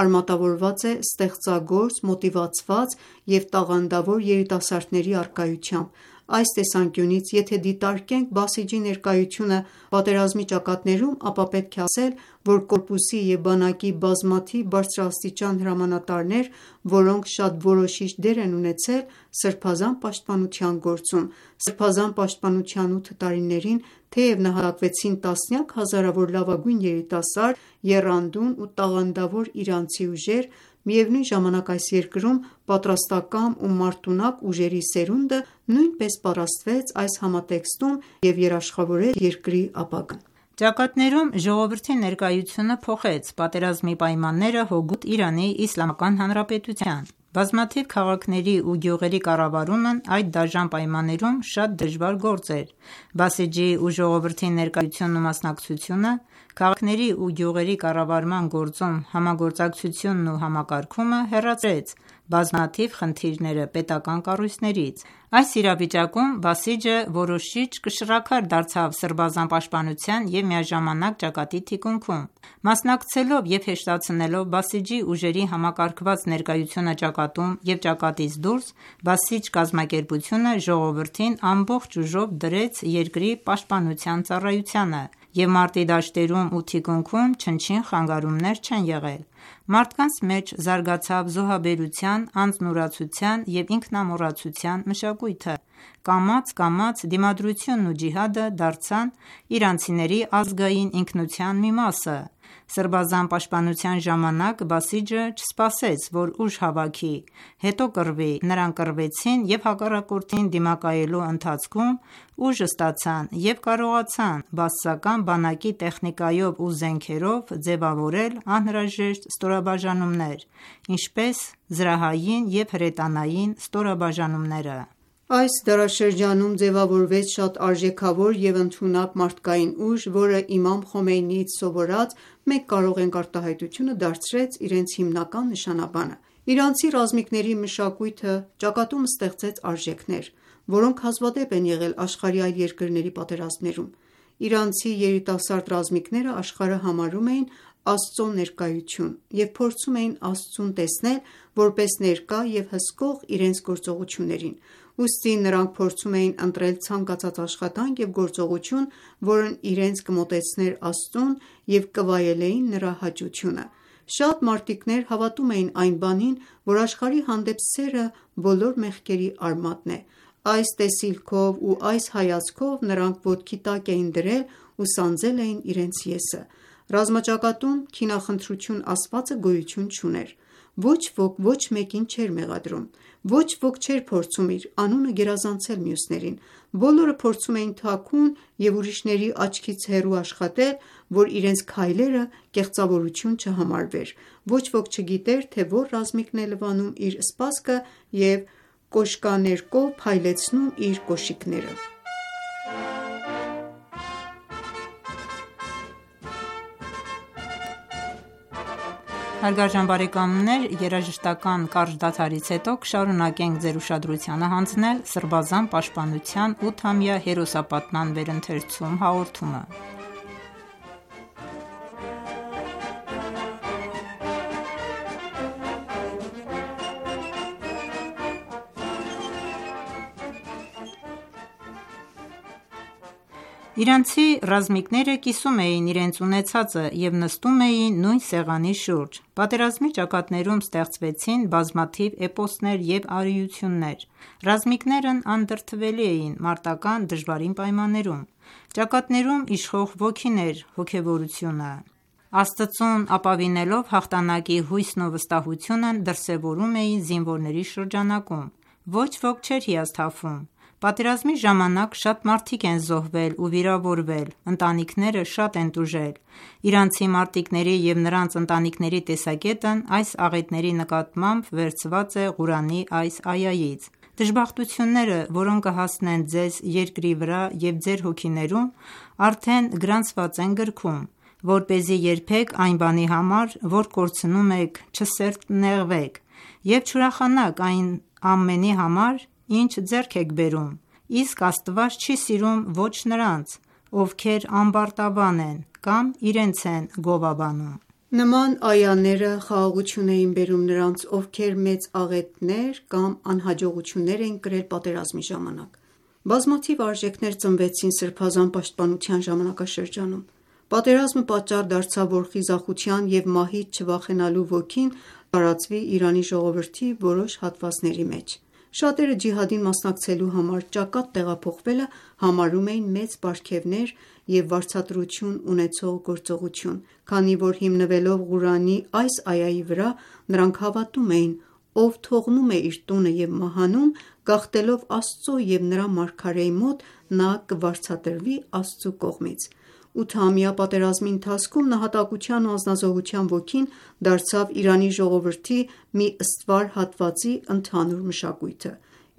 արմատավորված է ստեղծագործ, մոտիվացված և տաղանդավոր երիտասարդների առկայությամբ։ Այս տեսանկյունից, եթե դիտարկենք Բասիջի ներկայությունը պատերազմի ճակատներում, ապա պետք է ասել, որ կորպուսի և բանակի բազմաթիվ բարձրաստիճան հրամանատարներ, որոնք շատ որոշիչ դեր են ունեցել Սրբազան պաշտպանության գործում։ Սրբազան պաշտպանության ութ տարիներին թեև նահատակվեցին տասնյակ հազարավոր լավագույն երիտասարդ, եռանդուն ու տաղանդավոր իրանցի ուժեր, միևնույն ժամանակ այս երկրում պատրաստակամ ու մարտունակ ուժերի սերունդը նույնպես պատրաստվեց այս համատեքստում և երաշխավորեց երկրի ապագան։ Ճակատներում ժողովրդի ներկայությունը փոխեց պատերազմի պայմանները հօգուտ Իրանի Իսլամական Հանրապետության։ Բազմաթիվ քաղաքների ու գյուղերի կառավարումն այդ դաժան պայմաններում շատ դժվար գործ էր։ Բասիջի ու ժողովրդի ներկայությունն ու մասնակցությունը քաղաքների ու գյուղերի կառավարման գործում համագործակցությունն ու համակարգումը հեռացրեց բազմաթիվ խնդիրները պետական կառույցներից։ Այս իրավիճակում Բասիջը որոշիչ կշռաքար դարձավ սրբազան պաշտպանության և միաժամանակ ճակատի թիկունքում։ Մասնակցելով և հեշտացնելով Բասիջի ուժերի համակարգված ներկայությունը ճակատում և ճակատից դուրս, Բասիջ կազմակերպությունը ժողովրդին ամբողջ ուժով դրեց երկրի պաշտպանության ծառայությանը, և մարտի դաշտերում ու թիկունքում չնչին խանգարումներ չեն եղել։ Մարդկանց մեջ զարգացավ զոհաբերության, անձնուրացության և ինքնամոռացության մշակույթը։ Կամաց-կամաց դիմադրությունն ու ջիհադը դարձան իրանցիների ազգային ինքնության մի մասը։ Սրբազան պաշտպանության ժամանակ Բասիջը չսպասեց, որ ուժ հավաքի, հետո կռվի։ Նրանք կռվեցին և հակառակորդին դիմակայելու ընթացքում ուժ ստացան և կարողացան բաասական բանակի տեխնիկայով ու զենքերով ձևավորել անհրաժեշտ ստորաբաժանումներ, ինչպես զրահային և հրետանային ստորաբաժանումները։ Այս դարաշրջանում ձևավորվեց շատ արժեքավոր և ընդունակ մարդկային ուժ, որը իմամ Խոմեյնիից սովորած «մենք կարող ենք» արտահայտությունը դարձրեց իրենց հիմնական նշանաբանը։ Իրանցի ռազմիկների մշակույթը ճակատում ստեղծեց արժեքներ, որոնք հազվադեպ են եղել աշխարհի այլ երկրների պատերազմներում։ Իրանցի երիտասարդ ռազմիկները աշխարհը համարում էին Աստծո ներկայություն և փորձում էին Աստծուն տեսնել որպես ներկա և հսկող իրենց գործողություններին, ուստի նրանք փորձում էին ընտրել ցանկացած աշխատանք և գործողություն, որն իրենց կմոտեցներ Աստծուն և կվայելեին նրա հաճությունը։ Շատ մարտիկներ հավատում էին այն բանին, որ աշխարհի հանդեպ սերը բոլոր մեղքերի արմատն է։ Այս տեսիլքով ու այս հայացքով նրանք ոտքի տակ էին դրել ու սանձել էին իրենց ես-ը։ Ռազմաճակատում քինախնդրություն ասվածը գոյություն չուներ։ Ոչ ոք ոչ մեկին չէր մեղադրում։ Ոչ ոք չէր փորձում իր անունը գերազանցել մյուսներին։ Բոլորը փորձում էին թաքուն և ուրիշների աչքից հեռու աշխատել, որ իրենց քայլերը կեղծավորություն չհամարվեր։ Ոչ ոք չգիտեր, թե որ ռազմիկն է լվանում իր սպասքը և կոշկաներկով փայլեցնում իր կոշիկները։ Երաժշտական կարճ դադարից հետո կշարունակենք ձեր ուշադրությանը հանձնել սրբազան պաշտպանության ութամյա հերոսապատման վերընթերցում հաղորդումը։ Իրանցի ռազմիկները կիսում էին իրենց ունեցածը և նստում էին նույն սեղանի շուրջ։ Պատերազմի ճակատներում ստեղծվեցին բազմաթիվ էպոսներ և արիություններ։ Ռազմիկներն անդրդվելի էին մարտական դժվարին պայմաններում։ Ճակատներում իշխող ոգին էր հոգևորությունը։ Աստծուն ապավինելով հաղթանակի հույսն ու վստահությունն դրսևորում էին զինվորների շրջանակում։ Ոչ ոք չէր հիասթափվում։ Պատերազմի ժամանակ շատ մարդիկ են զոհվել ու վիրավորվել, ընտանիքները շատ են տուժել։ Իրանցի մարտիկների և նրանց ընտանիքների տեսակետն այս աղետների նկատմամբ վերցված է Ղուրանի այս այայից։ Դժբախտությունները, որոնք կհասնեն ձեզ երկրի վրա և ձեր հոգիներում, արդեն գրանցված են գրքում, որպեսզի երբեք այն բանի համար, որ կորցնում եք, չսրտնեղվեք և չուրախանաք այն ամենի համար, ինչ ձեռք եք բերում, իսկ Աստված չի սիրում ոչ նրանց, ովքեր ամբարտավան են կամ իրենց են գովաբանում։ Նման այաները խաղաղություն էին բերում նրանց, ովքեր մեծ աղետներ կամ անհաջողություններ էին կրել պատերազմի ժամանակ։ Բազմաթիվ արժեքներ ծնվեցին սրբազան պաշտպանության ժամանակաշրջանում։ Պատերազմը պատճառ դարձավ, որ խիզախության և մահից չվախենալու ոգին տարածվի Իրանի ժողովրդի որոշ հատվածների մեջ։ Շատերը ջիհադին մասնակցելու համար ճակատ տեղափոխվելը համարում էին մեծ պարգևներ և վարձատրություն ունեցող գործողություն, քանի որ հիմնվելով Ղուրանի այս այայի վրա, նրանք հավատում էին. «Ով թողնում է իր տունը և մահանում, գաղթելով Աստծո և նրա մարգարեի մոտ, նա կվարձատրվի Աստծու կողմից»։ Ութամյա պատերազմի ընթացքում նահատակության ու անձնազոհության ոգին դարձավ Իրանի ժողովրդի մի ստվար հատվածի ընդհանուր մշակույթը։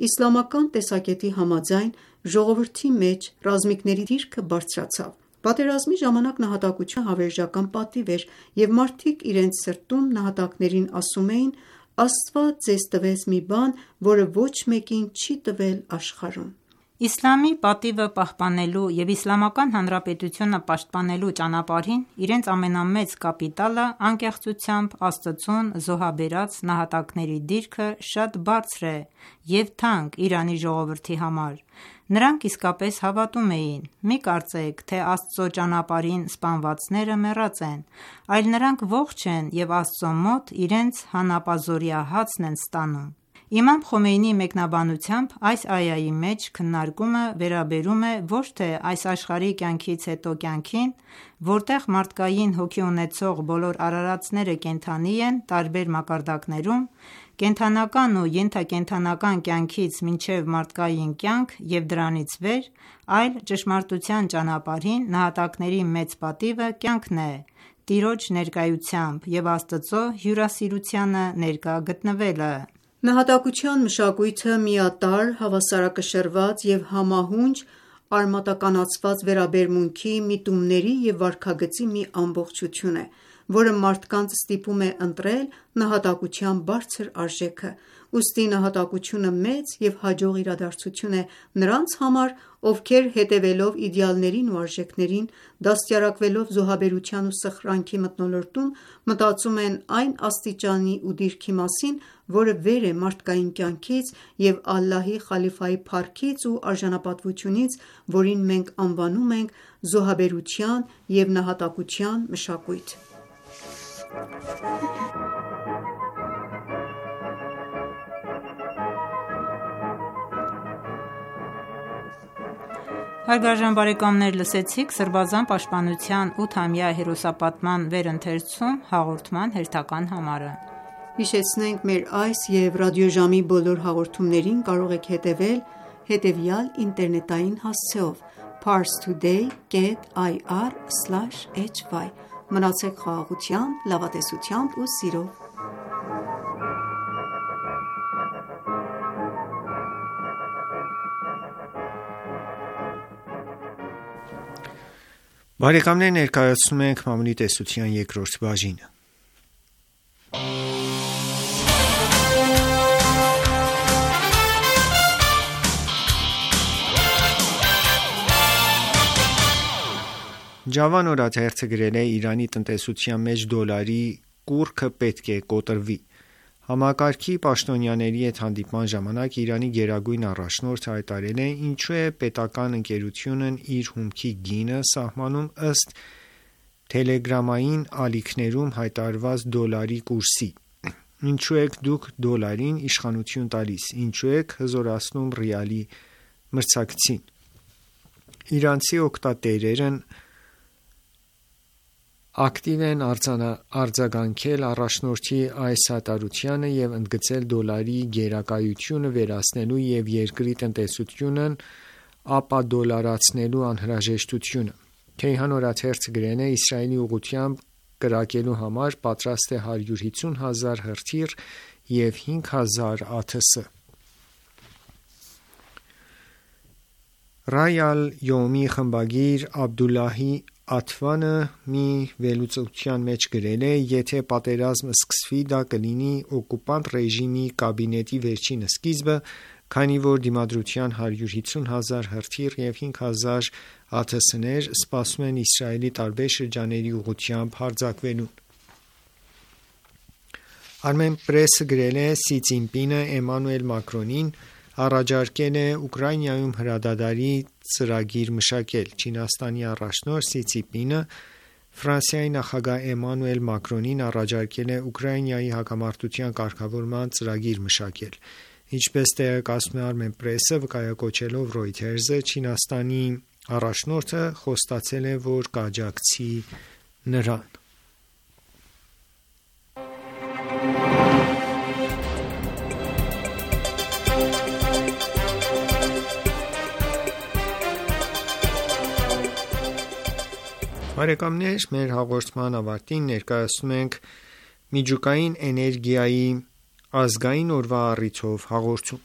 Իսլամական տեսակետի համաձայն, ժողովրդի մեջ ռազմիկների դիրքը բարձրացավ։ Պատերազմի ժամանակ նահատակությունը հավերժական պատիվ էր, և մարդիկ իրենց սրտում նահատակներին ասում էին. Աստված ձեզ տվեց մի բան, որը ոչ մեկին չի տվել աշխարհում: Իսլամի պատիվը պահպանելու և Իսլամական Հանրապետությունը պաշտպանելու ճանապարհին իրենց ամենամեծ կապիտալը անկեղծությամբ Աստծուն զոհաբերած նահատակների դիրքը շատ բարձր է և թանկ Իրանի ժողովրդի համար: Նրանք իսկապես հավատում էին: Մի կարծեք, թե Աստծո ճանապարհին սպանվածները մեռած են, այլ նրանք ողջ են և Աստծո մոտ իրենց հանապազօրյա հացն են ստանում: Իմամ Խոմեյնիի մեկնաբանությամբ այս այայի մեջ քննարկումը վերաբերում է ոչ թե այս աշխարհի կյանքից հետո կյանքին, որտեղ մարդկային հոգի ունեցող բոլոր արարածները կենդանի են տարբեր մակարդակներում, կենդանական ու ենթակենդանական կյանքից մինչև մարդկային կյանք և դրանից վեր, այլ ճշմարտության ճանապարհին նահատակների մեծ պատիվը կյանքն է, Տիրոջ ներկայությամբ և Աստծո հյուրասիրությանը ներկա գտնվելը: Նահատակության մշակույթը միատարր, հավասարակշռված և համահունչ արմատականացված վերաբերմունքի, միտումների և վարքագծի մի ամբողջություն է, որը մարդկանց ստիպում է ընտրել նահատակության բարձր արժեքը: Ուստի նահատակությունը մեծ և հաջող իրադարձություն է նրանց համար, ովքեր հետևելով իդեալներին ու արժեքներին, դաստիարակվելով զոհաբերության ու սխրանքի մթնոլորտում, մտածում են այն աստիճանի ու դիրքի մասին, որը վեր է մարդկային կյանքից և Ալլահի խալիֆայի փառքից ու արժանապատվությունից, որին մենք անվանում ենք զոհաբերության և նահատակության մշակույթ: Սրբազան պաշտպանության ութամյա հերոսապատման վերընթերցում հաղորդման հերթական համարը: Հիշեցնենք մեր այս և ռադիոժամի բոլոր հաղորդումներին կարող եք հետևել հետևյալ ինտերնետային հասցեով՝ Parstoday կետ այ առ սլաշ էյչ վայ: Մնացեք խաղաղությամբ, լավատեսությամբ ու սիրով: Ներկայացնում ենք Մամուլի տեսության երկրորդ բաժինը: Ջավան օրաթերթը գրել է. «Իրանի տնտեսության մեջ դոլարի կուռքը պետք է կոտրվի»: Համակարգի պաշտոնյաների հետ հանդիպման ժամանակ Իրանի գերագույն առաջնորդը հայտարարել է. «Ինչու է պետական ընկերությունն իր հումքի գինը սահմանում ըստ թելեգրամային ալիքներում հայտարարված դոլարի կուրսի: Ինչու եք դուք դոլարին իշխանություն տալիս: Ինչու եք հզորացնում ռիալի մրցակցին»: Իրանցի օգտատերերն ակտիվ են արձագանքել առաջնորդի այս հայտարարությանը և ընդգծել դոլարի գերակայությունը վերացնելու և երկրի տնտեսությունն ապադոլարացնելու անհրաժեշտությունը: Քեյհան օրաթերթը գրել է. «Իսրայելի ուղղությամբ կրակելու համար պատրաստ է հարյուր հիսուն հազար հրթիռ և հինգ հազար ԱԹՍ»: Ռայ Ալ-Յոմի խմբագիր Աբդուլլահի Աթվանը մի վերլուծության մեջ գրել է. «Եթե պատերազմ սկսվի, դա կլինի օկուպանտ ռեժիմի կաբինետի վերջին սկիզբը, քանի որ դիմադրության հարյուր հիսուն հազար հրթիռ և հինգ հազար ԱԹՍ-ներ սպասում են Իսրայելի տարբեր շրջանների ուղղությամբ հարձակվելուն»: Armenpress-ը գրել է. «Սի Ցզինպինը Էմանուել Մակրոնին առաջարկել է Ուկրաինայում հրադադարի ծրագիր մշակել: Չինաստանի առաջնորդ Սի Ցզինպինը Ֆրանսիայի նախագահ Էմանուել Մակրոնին առաջարկել է Ուկրաինայի հակամարտության կարգավորման ծրագիր մշակել: Ինչպես տեղեկացնում է Armenpress-ը վկայակոչելով Reuters-ը, Չինաստանի առաջնորդը խոստացել է, որ կաջակցի նրան: Մեր հաղորդման ավարտին ներկայացնում ենք միջուկային էներգիայի ազգային օրվա առիթով հաղորդում: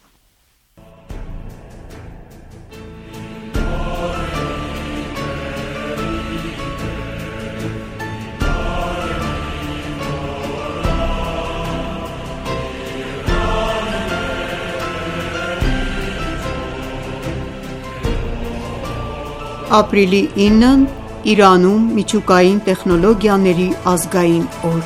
Ապրիլի ինն Իրանում միջուկային տեխնոլոգիաների ազգային օր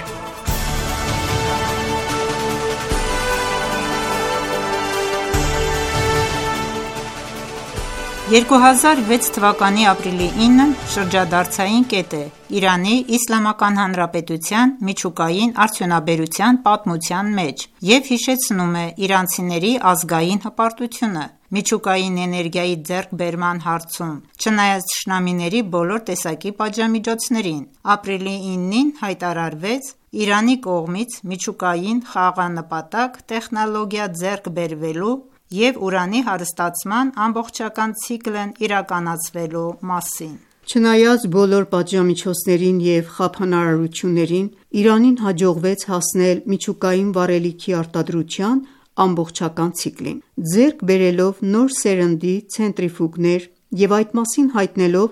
երկու հազար վեց թվականի ապրիլի ինն շրջադարձային կետ է Իրանի Իսլամական Հանրապետության միջուկային արդյունաբերության պատմության մեջ և հիշեցնում է իրանցիների ազգային հպարտությունը միջուկային էներգիայի ձեռքբերման հարցում, չնայած թշնամիների բոլոր տեսակի պատժամիջոցներին: Ապրիլի իննին հայտարարվեց Իրանի կողմից միջուկային խաղաղանպատակ տեխնոլոգիա ձեռք բերվելու և ուրանի հարստացման ամբողջական ցիկլն իրականացվելու մասին: Չնայած բոլոր պատժամիջոցներին և խափանարարություններին, Իրանին հաջողվեց հասնել միջուկային վառելիքի արտադրության ամբողջական ցիկլին: Ձեռք բերելով նոր սերնդի ցենտրիֆուգներ և այդ մասին հայտնելով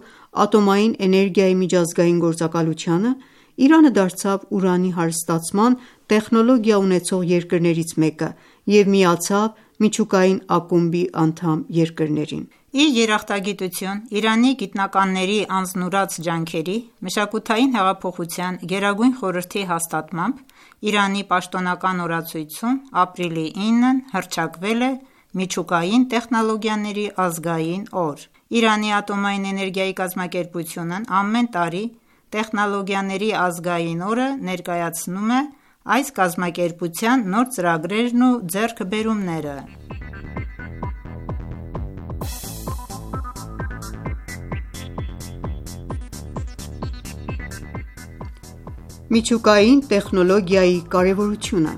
ատոմային էներգիայի միջազգային գործակալությանը, Իրանը դարձավ ուրանի հարստացման տեխնոլոգիա ունեցող երկրներից մեկը և միացավ միջուկային ակումբի անդամ երկրներին: Ի երախտագիտություն Իրանի գիտնականների անձնուրաց ջանքերի, Մշակութային հեղափոխության գերագույն խորհրդի հաստատմամբ, Իրանի պաշտոնական օրացույցում ապրիլի ինն հռչակվել է Միջուկային տեխնոլոգիաների ազգային օր: Իրանի ատոմային էներգիայի կազմակերպությունն ամեն տարի Տեխնոլոգիաների ազգային օրը ներկայացնում է այս կազմակերպության նոր ծրագրերն ու ձեռքբերումները: Միջուկային տեխնոլոգիայի կարևորությունը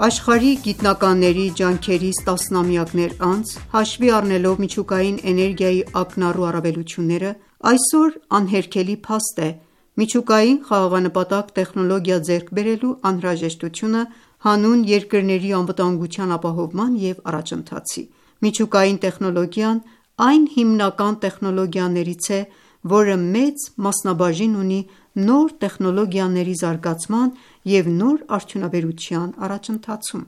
Աշխարհի գիտնականների ջանքերից տասնամյակներ անց, հաշվի առնելով միջուկային էներգիայի ակնառու առավելությունները, այսօր անհերքելի փաստ է միջուկային խաղաղանպատակ տեխնոլոգիա ձեռք բերելու անհրաժեշտությունը հանուն երկրների անվտանգության ապահովման և առաջընթացի: Միջուկային տեխնոլոգիան այն հիմնական տեխնոլոգիաներից է, որը մեծ մասնաբաժին ունի նոր տեխնոլոգիաների զարգացման և նոր արդյունաբերության առաջընթացում: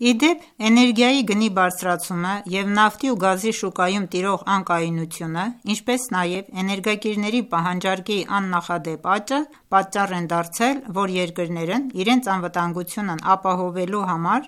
Ի դեպ, էներգիայի գնի բարձրացումը և նավթի ու գազի շուկայում տիրող անկայունությունը, ինչպես նաև էներգակիրների պահանջարկի աննախադեպ աճը պատճառ են դարձել, որ երկրներն իրենց անվտանգությունն ապահովելու համար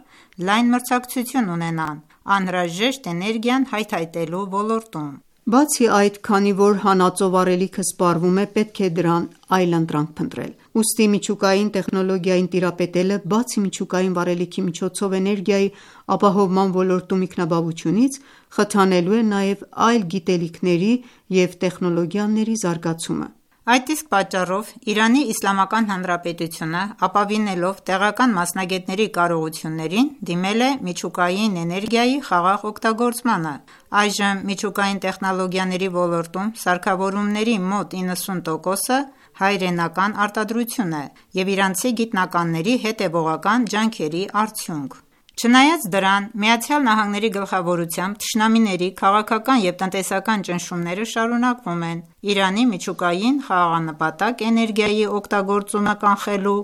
լայն մրցակցություն ունենան անհրաժեշտ էներգիան հայթայթելու ոլորտում: Բացի այդ, քանի որ հանածո վառելիքը սպառվում է, պետք է դրան այլընտրանք փնտրել: Ուստի միջուկային տեխնոլոգիային տիրապետելը, բացի միջուկային վառելիքի միջոցով էներգիայի ապահովման ոլորտում ինքնաբավությունից, խթանելու է նաև այլ գիտելիքների և տեխնոլոգիաների զարգացումը: Այդ իսկ պատճառով Իրանի Իսլամական Հանրապետությունը, ապավինելով տեղական մասնագետների կարողություններին, դիմել է միջուկային էներգիայի խաղաղ օգտագործմանը: Այժմ միջուկային տեխնոլոգիաների ոլորտում սարքավորումների մոտ իննսուն տոկոսը հայրենական արտադրություն է և իրանցի գիտնականների հետևողական ջանքերի արդյունք: Չնայած դրան, ԱՄՆ-ի գլխավորությամբ թշնամիների քաղաքական և տնտեսական ճնշումները շարունակվում են Իրանի միջուկային խաղաղանպատակ էներգիայի օգտագործումը կանխելու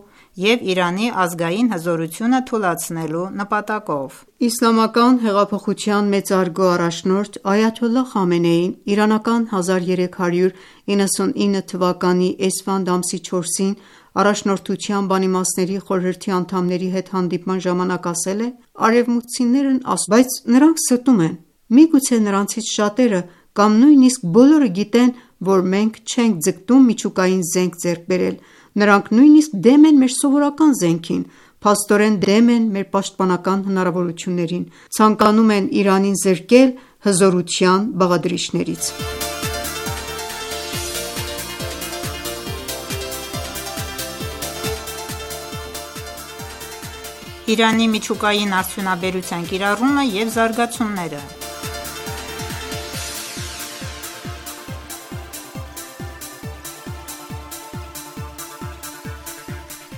և Իրանի ազգային հզորությունը թուլացնելու նպատակով: Իսլամական հեղափոխության մեծարգո առաջնորդ Այաթոլլահ Խամենեին իրանական հազար երեք հարյուր իննսունինը թվականի էսֆանդ ամսի չորսին Առաջնորդության բանիմացների խորհրդի անդամների հետ հանդիպման ժամանակ ասել է. «Արևմուտքցիներն ասում են, բայց նրանք ստում են: Միգուցե նրանցից շատերը կամ նույնիսկ բոլորը գիտեն, որ մենք չենք ձգտում միջուկային զենք ձեռք բերել: Նրանք նույնիսկ դեմ են մեր սովորական զենքին, փաստորեն դեմ են մեր պաշտպանական հնարավորություններին, ցանկանում են Իրանին զրկել հզորության բաղադրիչներից»: Իրանի միջուկային արդյունաբերության կիրառումը և զարգացումները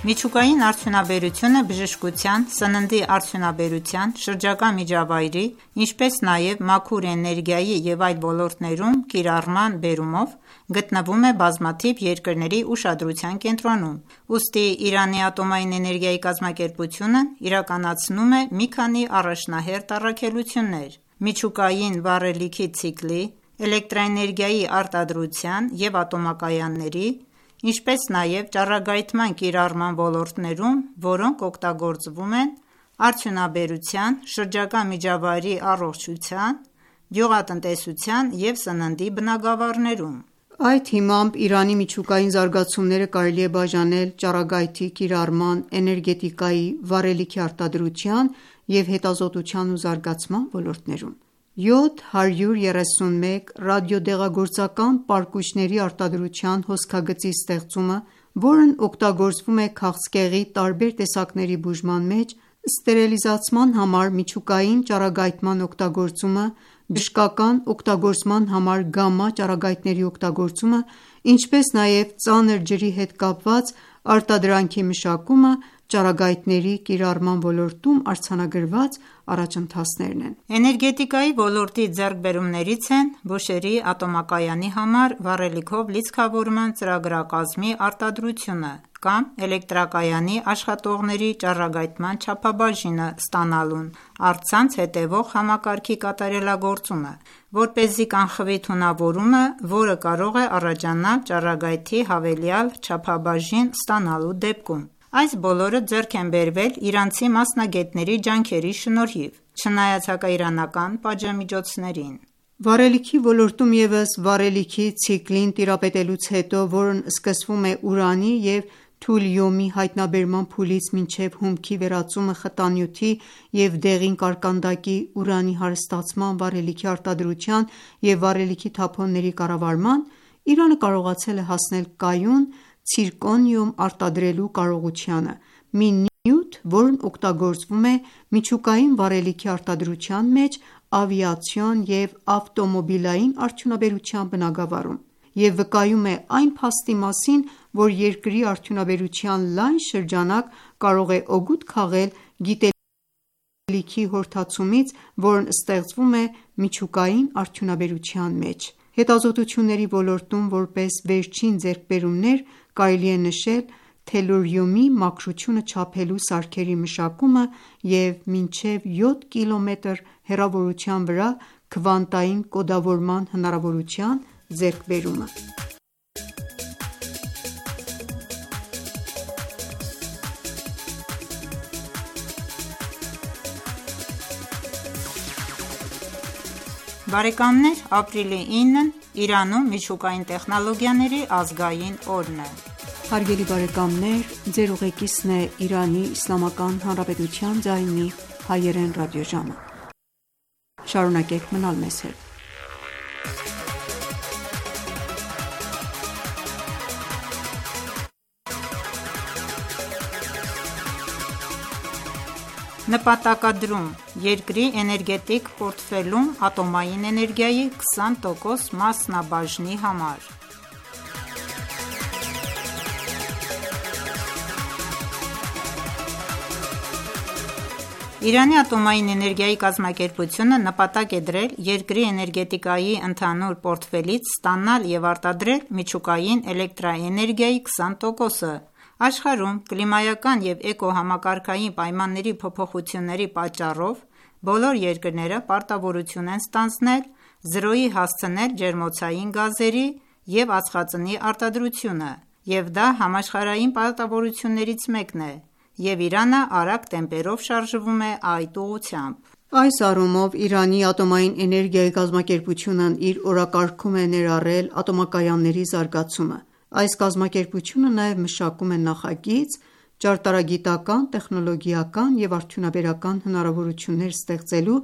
Միջուկային արդյունաբերությունը բժշկության, սննդի արդյունաբերության, շրջակա միջավայրի, ինչպես նաև մաքուր էներգիայի և այլ ոլորտներում կիրառման բերումով գտնվում է բազմաթիվ երկրների ուշադրության կենտրոնում: Ուստի Իրանի ատոմային էներգիայի կազմակերպությունն իրականացնում է մի քանի առաջնահերթ առաքելություններ: միջուկային վառելիքի ցիկլի, էլեկտրաէներգիայի արտադրության և ատոմակայանների, ինչպես նաև ճառագայթման կիրառման ոլորտներում, որոնք օգտագործվում են արդյունաբերության, շրջակա միջավայրի առողջության, գյուղատնտեսության և սննդի բնագավառներում: Այդ հիմամբ Իրանի միջուկային զարգացումները կարելի է բաժանել ճառագայթի կիրառման, էներգետիկայի, վառելիքի արտադրության և հետազոտության ու զարգացման ոլորտներում: յոթ հարյուր երեսուն մեկ ռադիոդեղագործական պարկուճների արտադրության հոսքագծի ստեղծումը, որն օգտագործվում է քաղցկեղի տարբեր տեսակների բուժման մեջ, ստերիլիզացման համար միջուկային ճառագայթման օգտագործումը, բժշկական օգտագործման համար գամմա ճառագայթների օգտագործումը, ինչպես նաև ծանր ջրի հետ կապված արտադրանքի մշակումը ճառագայթների կիրառման ոլորտում արձանագրված առաջընթացներն են: Էներգետիկայի ոլորտի ձեռքբերումներից են Բուշեհրի ատոմակայանի համար վառելիքով լիցքավորման ծրագրակազմի արտադրությունը կամ էլեկտրակայանի աշխատողների ճառագայթման չափաբաժինը ստանալուն առցանց հետևող համակարգի կատարելագործումը, որպեսզի կանխվի թունավորումը, որը կարող է առաջանալ ճառագայթի հավելյալ չափաբաժին ստանալու դեպքում: Այս բոլորը ձեռք են բերվել իրանցի մասնագետների ջանքերի շնորհիվ, չնայած հակաիրանական պատժամիջոցներին: Վառելիքի ոլորտում ևս վառելիքի ցիկլին տիրապետելուց հետո, որն սկսվում է ուրանի և թուլիումի հայտնաբերման փուլից մինչև հումքի վերածումը խտանյութի և դեղին կարկանդակի ուրանի հարստացման, վառելիքի արտադրության և վառելիքի թափոնների կառավարման, Իրանը կարողացել է հասնել կայուն ցիրկոնիում արտադրելու կարողությանը, մի նյութ, որն օգտագործվում է միջուկային վառելիքի արտադրության մեջ ավիացիոն և ավտոմոբիլային արդյունաբերության բնագավառում և վկայում է այն փաստի մասին, որ երկրի արդյունաբերության լայն շրջանակ կարող է օգուտ քաղել գիտելիքի հորդացումից, որն ստեղծվում է միջուկային արդյունաբերության մեջ: Հետազոտությունների ոլորտում որպես վերջին ձեռքբերումներ կարելի է նշել թելուրիումի մաքրությունը չափելու սարքերի մշակումը և մինչև յոթ կիլոմետր հեռավորության վրա քվանտային կոդավորման հնարավորության ձեռքբերումը: Ապրիլի ինն Իրանում միջուկային տեխնոլոգիաների ազգային օրն է: Նպատակադրում՝ երկրի էներգետիկ պորտֆելում ատոմային էներգիայի քսան տոկոս մասնաբաժնի համար: Իրանի ատոմային էներգիայի կազմակերպությունը նպատակ է դրել երկրի էներգետիկայի ընդհանուր պորտֆելից ստանալ և արտադրել միջուկային էլեկտրաէներգիայի քսան տոկոսը: Աշխարհում կլիմայական և էկոհամակարգային պայմանների փոփոխությունների պատճառով բոլոր երկրները պարտավորություն են ստանձնել զրոյի հասցնել ջերմոցային գազերի և ածխածնի արտադրությունը և դա համաշխարհային պարտավորություններից մեկն է և Իրանը արագ տեմպերով շարժվում է այդ ուղղությամբ: Այս առումով Իրանի ատոմային էներգիայի կազմակերպությունն իր օրակարգում է ներառել ատոմակայանների զարգացումը: Այս կազմակերպությունը նաև մշակում է նախագիծ՝ ճարտարագիտական, տեխնոլոգիական և արդյունաբերական հնարավորություններ ստեղծելու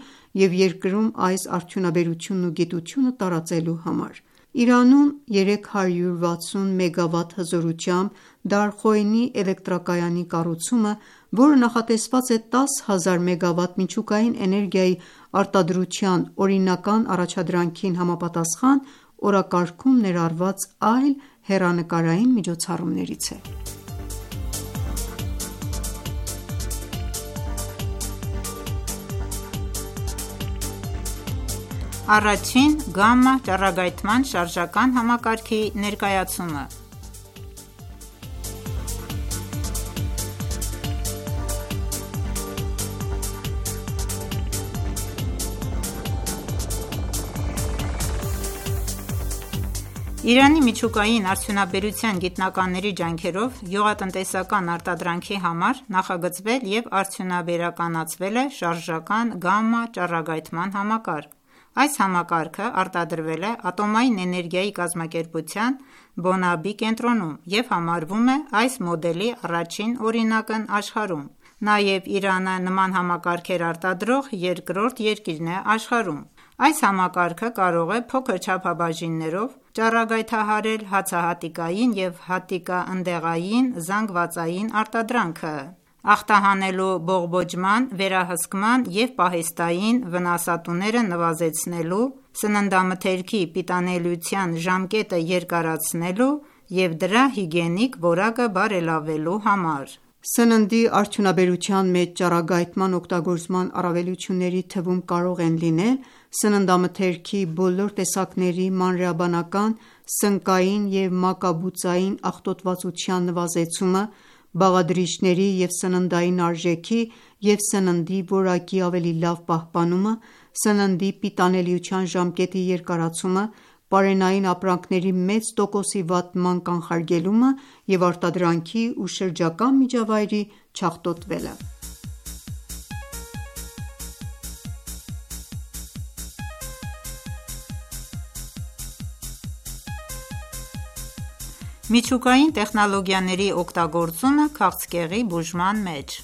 և երկրում այս արդյունաբերությունն ու գիտությունը տարածելու համար: Իրանում երեք հարյուր վաթսուն մեգավատ հզորությամբ Դարխոյնի էլեկտրակայանի կառուցումը, որը նախատեսված է դաս հազար մեգավատ միջուկային էներգիայի արտադրության օրինական առաջադրանքին համապատասխան, օրակարգում ներառված այլ հեռանկարային միջոցառումներից է: Առաջին գամմա ճառագայթման շարժական համակարգի ներկայացումը Իրանի միջուկային արդյունաբերության գիտնականների ջանքերով գյուղատնտեսական արտադրանքի համար նախագծվել և արդյունաբերականացվել է շարժական գամմա ճառագայթման համակարգ: Այս համակարգը արտադրվել է Ատոմային էներգիայի կազմակերպության Բոնաբի կենտրոնում և համարվում է այս մոդելի առաջին օրինակն աշխարհում: Նաև Իրանը նման համակարգեր արտադրող երկրորդ երկիրն է աշխարհում: Այս համակարգը կարող է փոքր չափաբաժիններով ճառագայթահարել հացահատիկային և հատիկաընդեղային զանգվածային արտադրանքը, ախտահանելու բողբոջման, վերահսկման և պահեստային վնասատուները նվազեցնելու, սննդամթերքի պիտանելիության ժամկետը երկարացնելու և դրա հիգիենիկ որակը բարելավելու համար: Սննդի արդյունաբերության մեջ ճառագայթման օգտագործման առավելությունների թվում կարող են լինել սննդամթերքի բոլոր տեսակների մանրէաբանական, սնկային և մակաբուծային աղտոտվածության նվազեցումը, բաղադրիչների և սննդային արժեքի և սննդի որակի ավելի լավ պահպանումը, սննդի պիտանելիության ժամկետի երկարացումը, պարենային ապրանքների մեծ տոկոսի վատնման կանխարգելումը և արտադրանքի ու շրջակա միջավայրի չաղտոտվելը: Միջուկային տեխնոլոգիաների օգտագործումը քաղցկեղի բուժման մեջ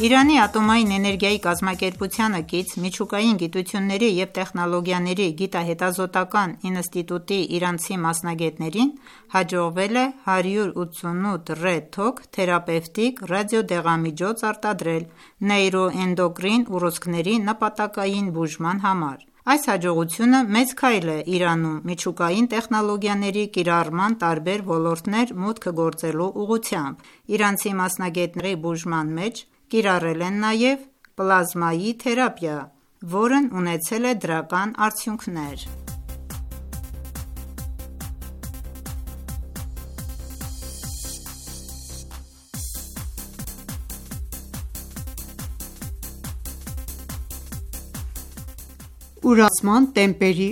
Իրանի Ատոմային էներգիայի կազմակերպությանը կից Միջուկային գիտությունների և տեխնոլոգիաների գիտահետազոտական ինստիտուտի իրանցի մասնագետներին հաջողվել է հարյուր ութսունութ ռեթոք թերապևտիկ ռադիոդեղամիջոց արտադրել նեյրոէնդոկրին ուռուցքների նպատակային բուժման համար: Այս հաջողությունը մեծ քայլ է Իրանում միջուկային տեխնոլոգիաների կիրառման տարբեր ոլորտներ մուտք գործելու ուղղությամբ: Իրանցի մասնագետների բուժման մեջ կիրառել են նաև պլազմայի թերապիա, որն ունեցել է դրական արդյունքներ: Ուրացման տեմպերի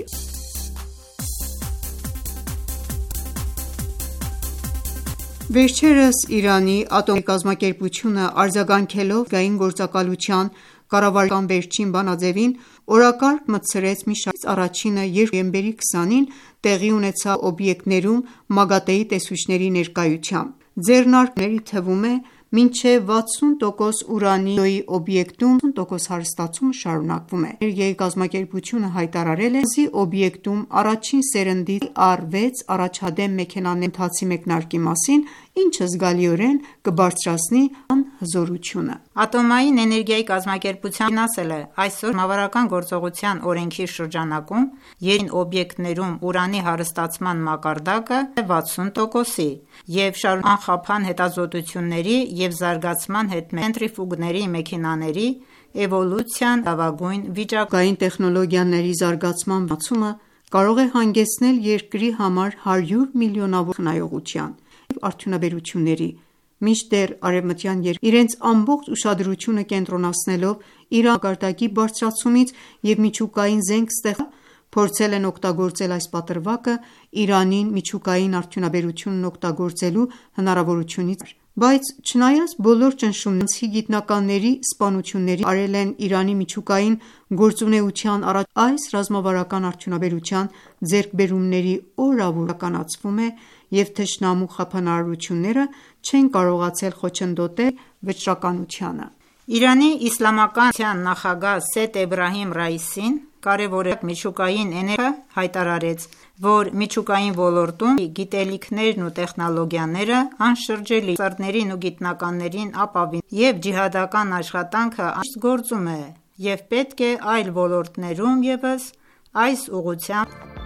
Վերջերս Իրանի ատոմիկ կազմակերպությունը արձագանքելով ներգային գործակալության կառավարության վերջին բանաձևին, օրակարգ մտցրեց մի շարք նորությունների: Դրանցից առաջինը երկուամբերի քսանին տեղի ունեցավ օբյեկտներում մագատեի տեսուչների ներկայությամբ: Ձեռնարկների թվում է մինչև վաթսուն տոկոս ուրանի օբյեկտում ութսուն տոկոս հարստացումը շարունակվում է: Ատոմիկ էներգիայի կազմակերպությունը հայտարարել է, որ Նավարդի օբյեկտում առաջին սերնդի Տի առ վեց առաջադեմ մեքենաների ընթացի մեկնարկի մասին, ինչը զգալիորեն կբարձրացնի անհատական հզորությունը: Ատոմային էներգիայի կազմակերպության տնօրենն ասել է. «Այսօր Ռազմավարական գործողության օրենքի շրջանակում երկրի վերջին օբյեկտներում ուրանի հարստացման մակարդակը հասել է վաթսուն տոկոսի և շարունակվող անխափան հետազոտությունների և զարգացման հետ մեկտեղ ցենտրիֆուգների մեքենաների էվոլյուցիան լավագույն վիճակում է»: Միջուկային տեխնոլոգիաների զարգացման վեհացումը կարող է հանգեցնել երկրի համար հարյուր միլիոնավոր տոկոս խնայողության և արդյունաբերությունների: Մինչդեռ արևմտյան երկրները իրենց ամբողջ ուշադրությունը կենտրոնացնելով Իրանի ջրատեսակի բարձրացումից և միջուկային զենք ստեղծման վրա, փորձել են օգտագործել այս պատրվակը Իրանին միջուկային արդյունաբերությունն օգտագործելու հնարավորությունից բացառիկ: Բայց չնայած բոլոր ճնշումներին, իրանցի գիտնականների սպանություններին, որոնք արել են Իրանի միջուկային գործունեության առաջընթացը, այս ռազմավարական արդյունաբերության ձեռքբերումների օրավուր գնալով իրականացվում է և թշնամու խափանարարությունները չեն կարողացել խոչընդոտել վճռականությանը: Իրանի Իսլամական Հանրապետության նախագահ Սեյեդ Էբրահիմ Ռայիսին կարևորելով միջուկային էներգիայի ոլորտը, հայտարարեց, որ միջուկային ոլորտում Իրանի գիտելիքներն ու տեխնոլոգիաները անշրջելի են: Երիտասարդներին ու գիտնականներին ապավինելով և ջիհադական աշխատանքը անշուշտ գործում է և պետք է այլ ոլորտներում ևս այս ուղղությամբ շարունակել: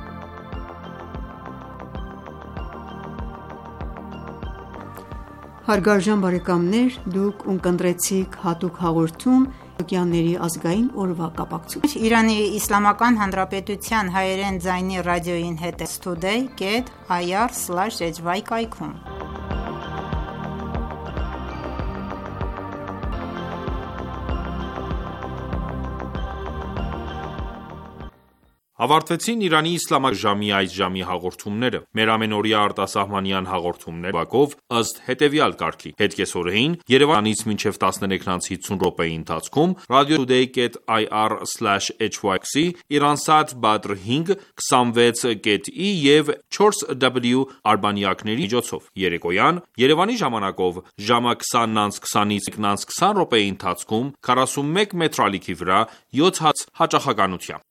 Ավարտվեցին Իրանի իսլամական ժամի այս ժամի հաղորդումները։ Մեր ամենօրյա արտասահմանյան հաղորդումները Բաքով ըստ հետևյալ կարգի. Հետկեսօրեին Երևանից մինչև տասներեքից հիսուն րոպեի ընթացքում radio.today dot i r slash h y x, Iransat Badr հինգ քսանվեց կետ ի և չորս w արբանյակների միջոցով։ Երեկոյան Երևանի ժամանակով ժամը քսանն անց քսանից քսան րոպեի ընթացքում քառասունմեկ մետրալիքի վրա յոթ հաց հաճախականությամբ։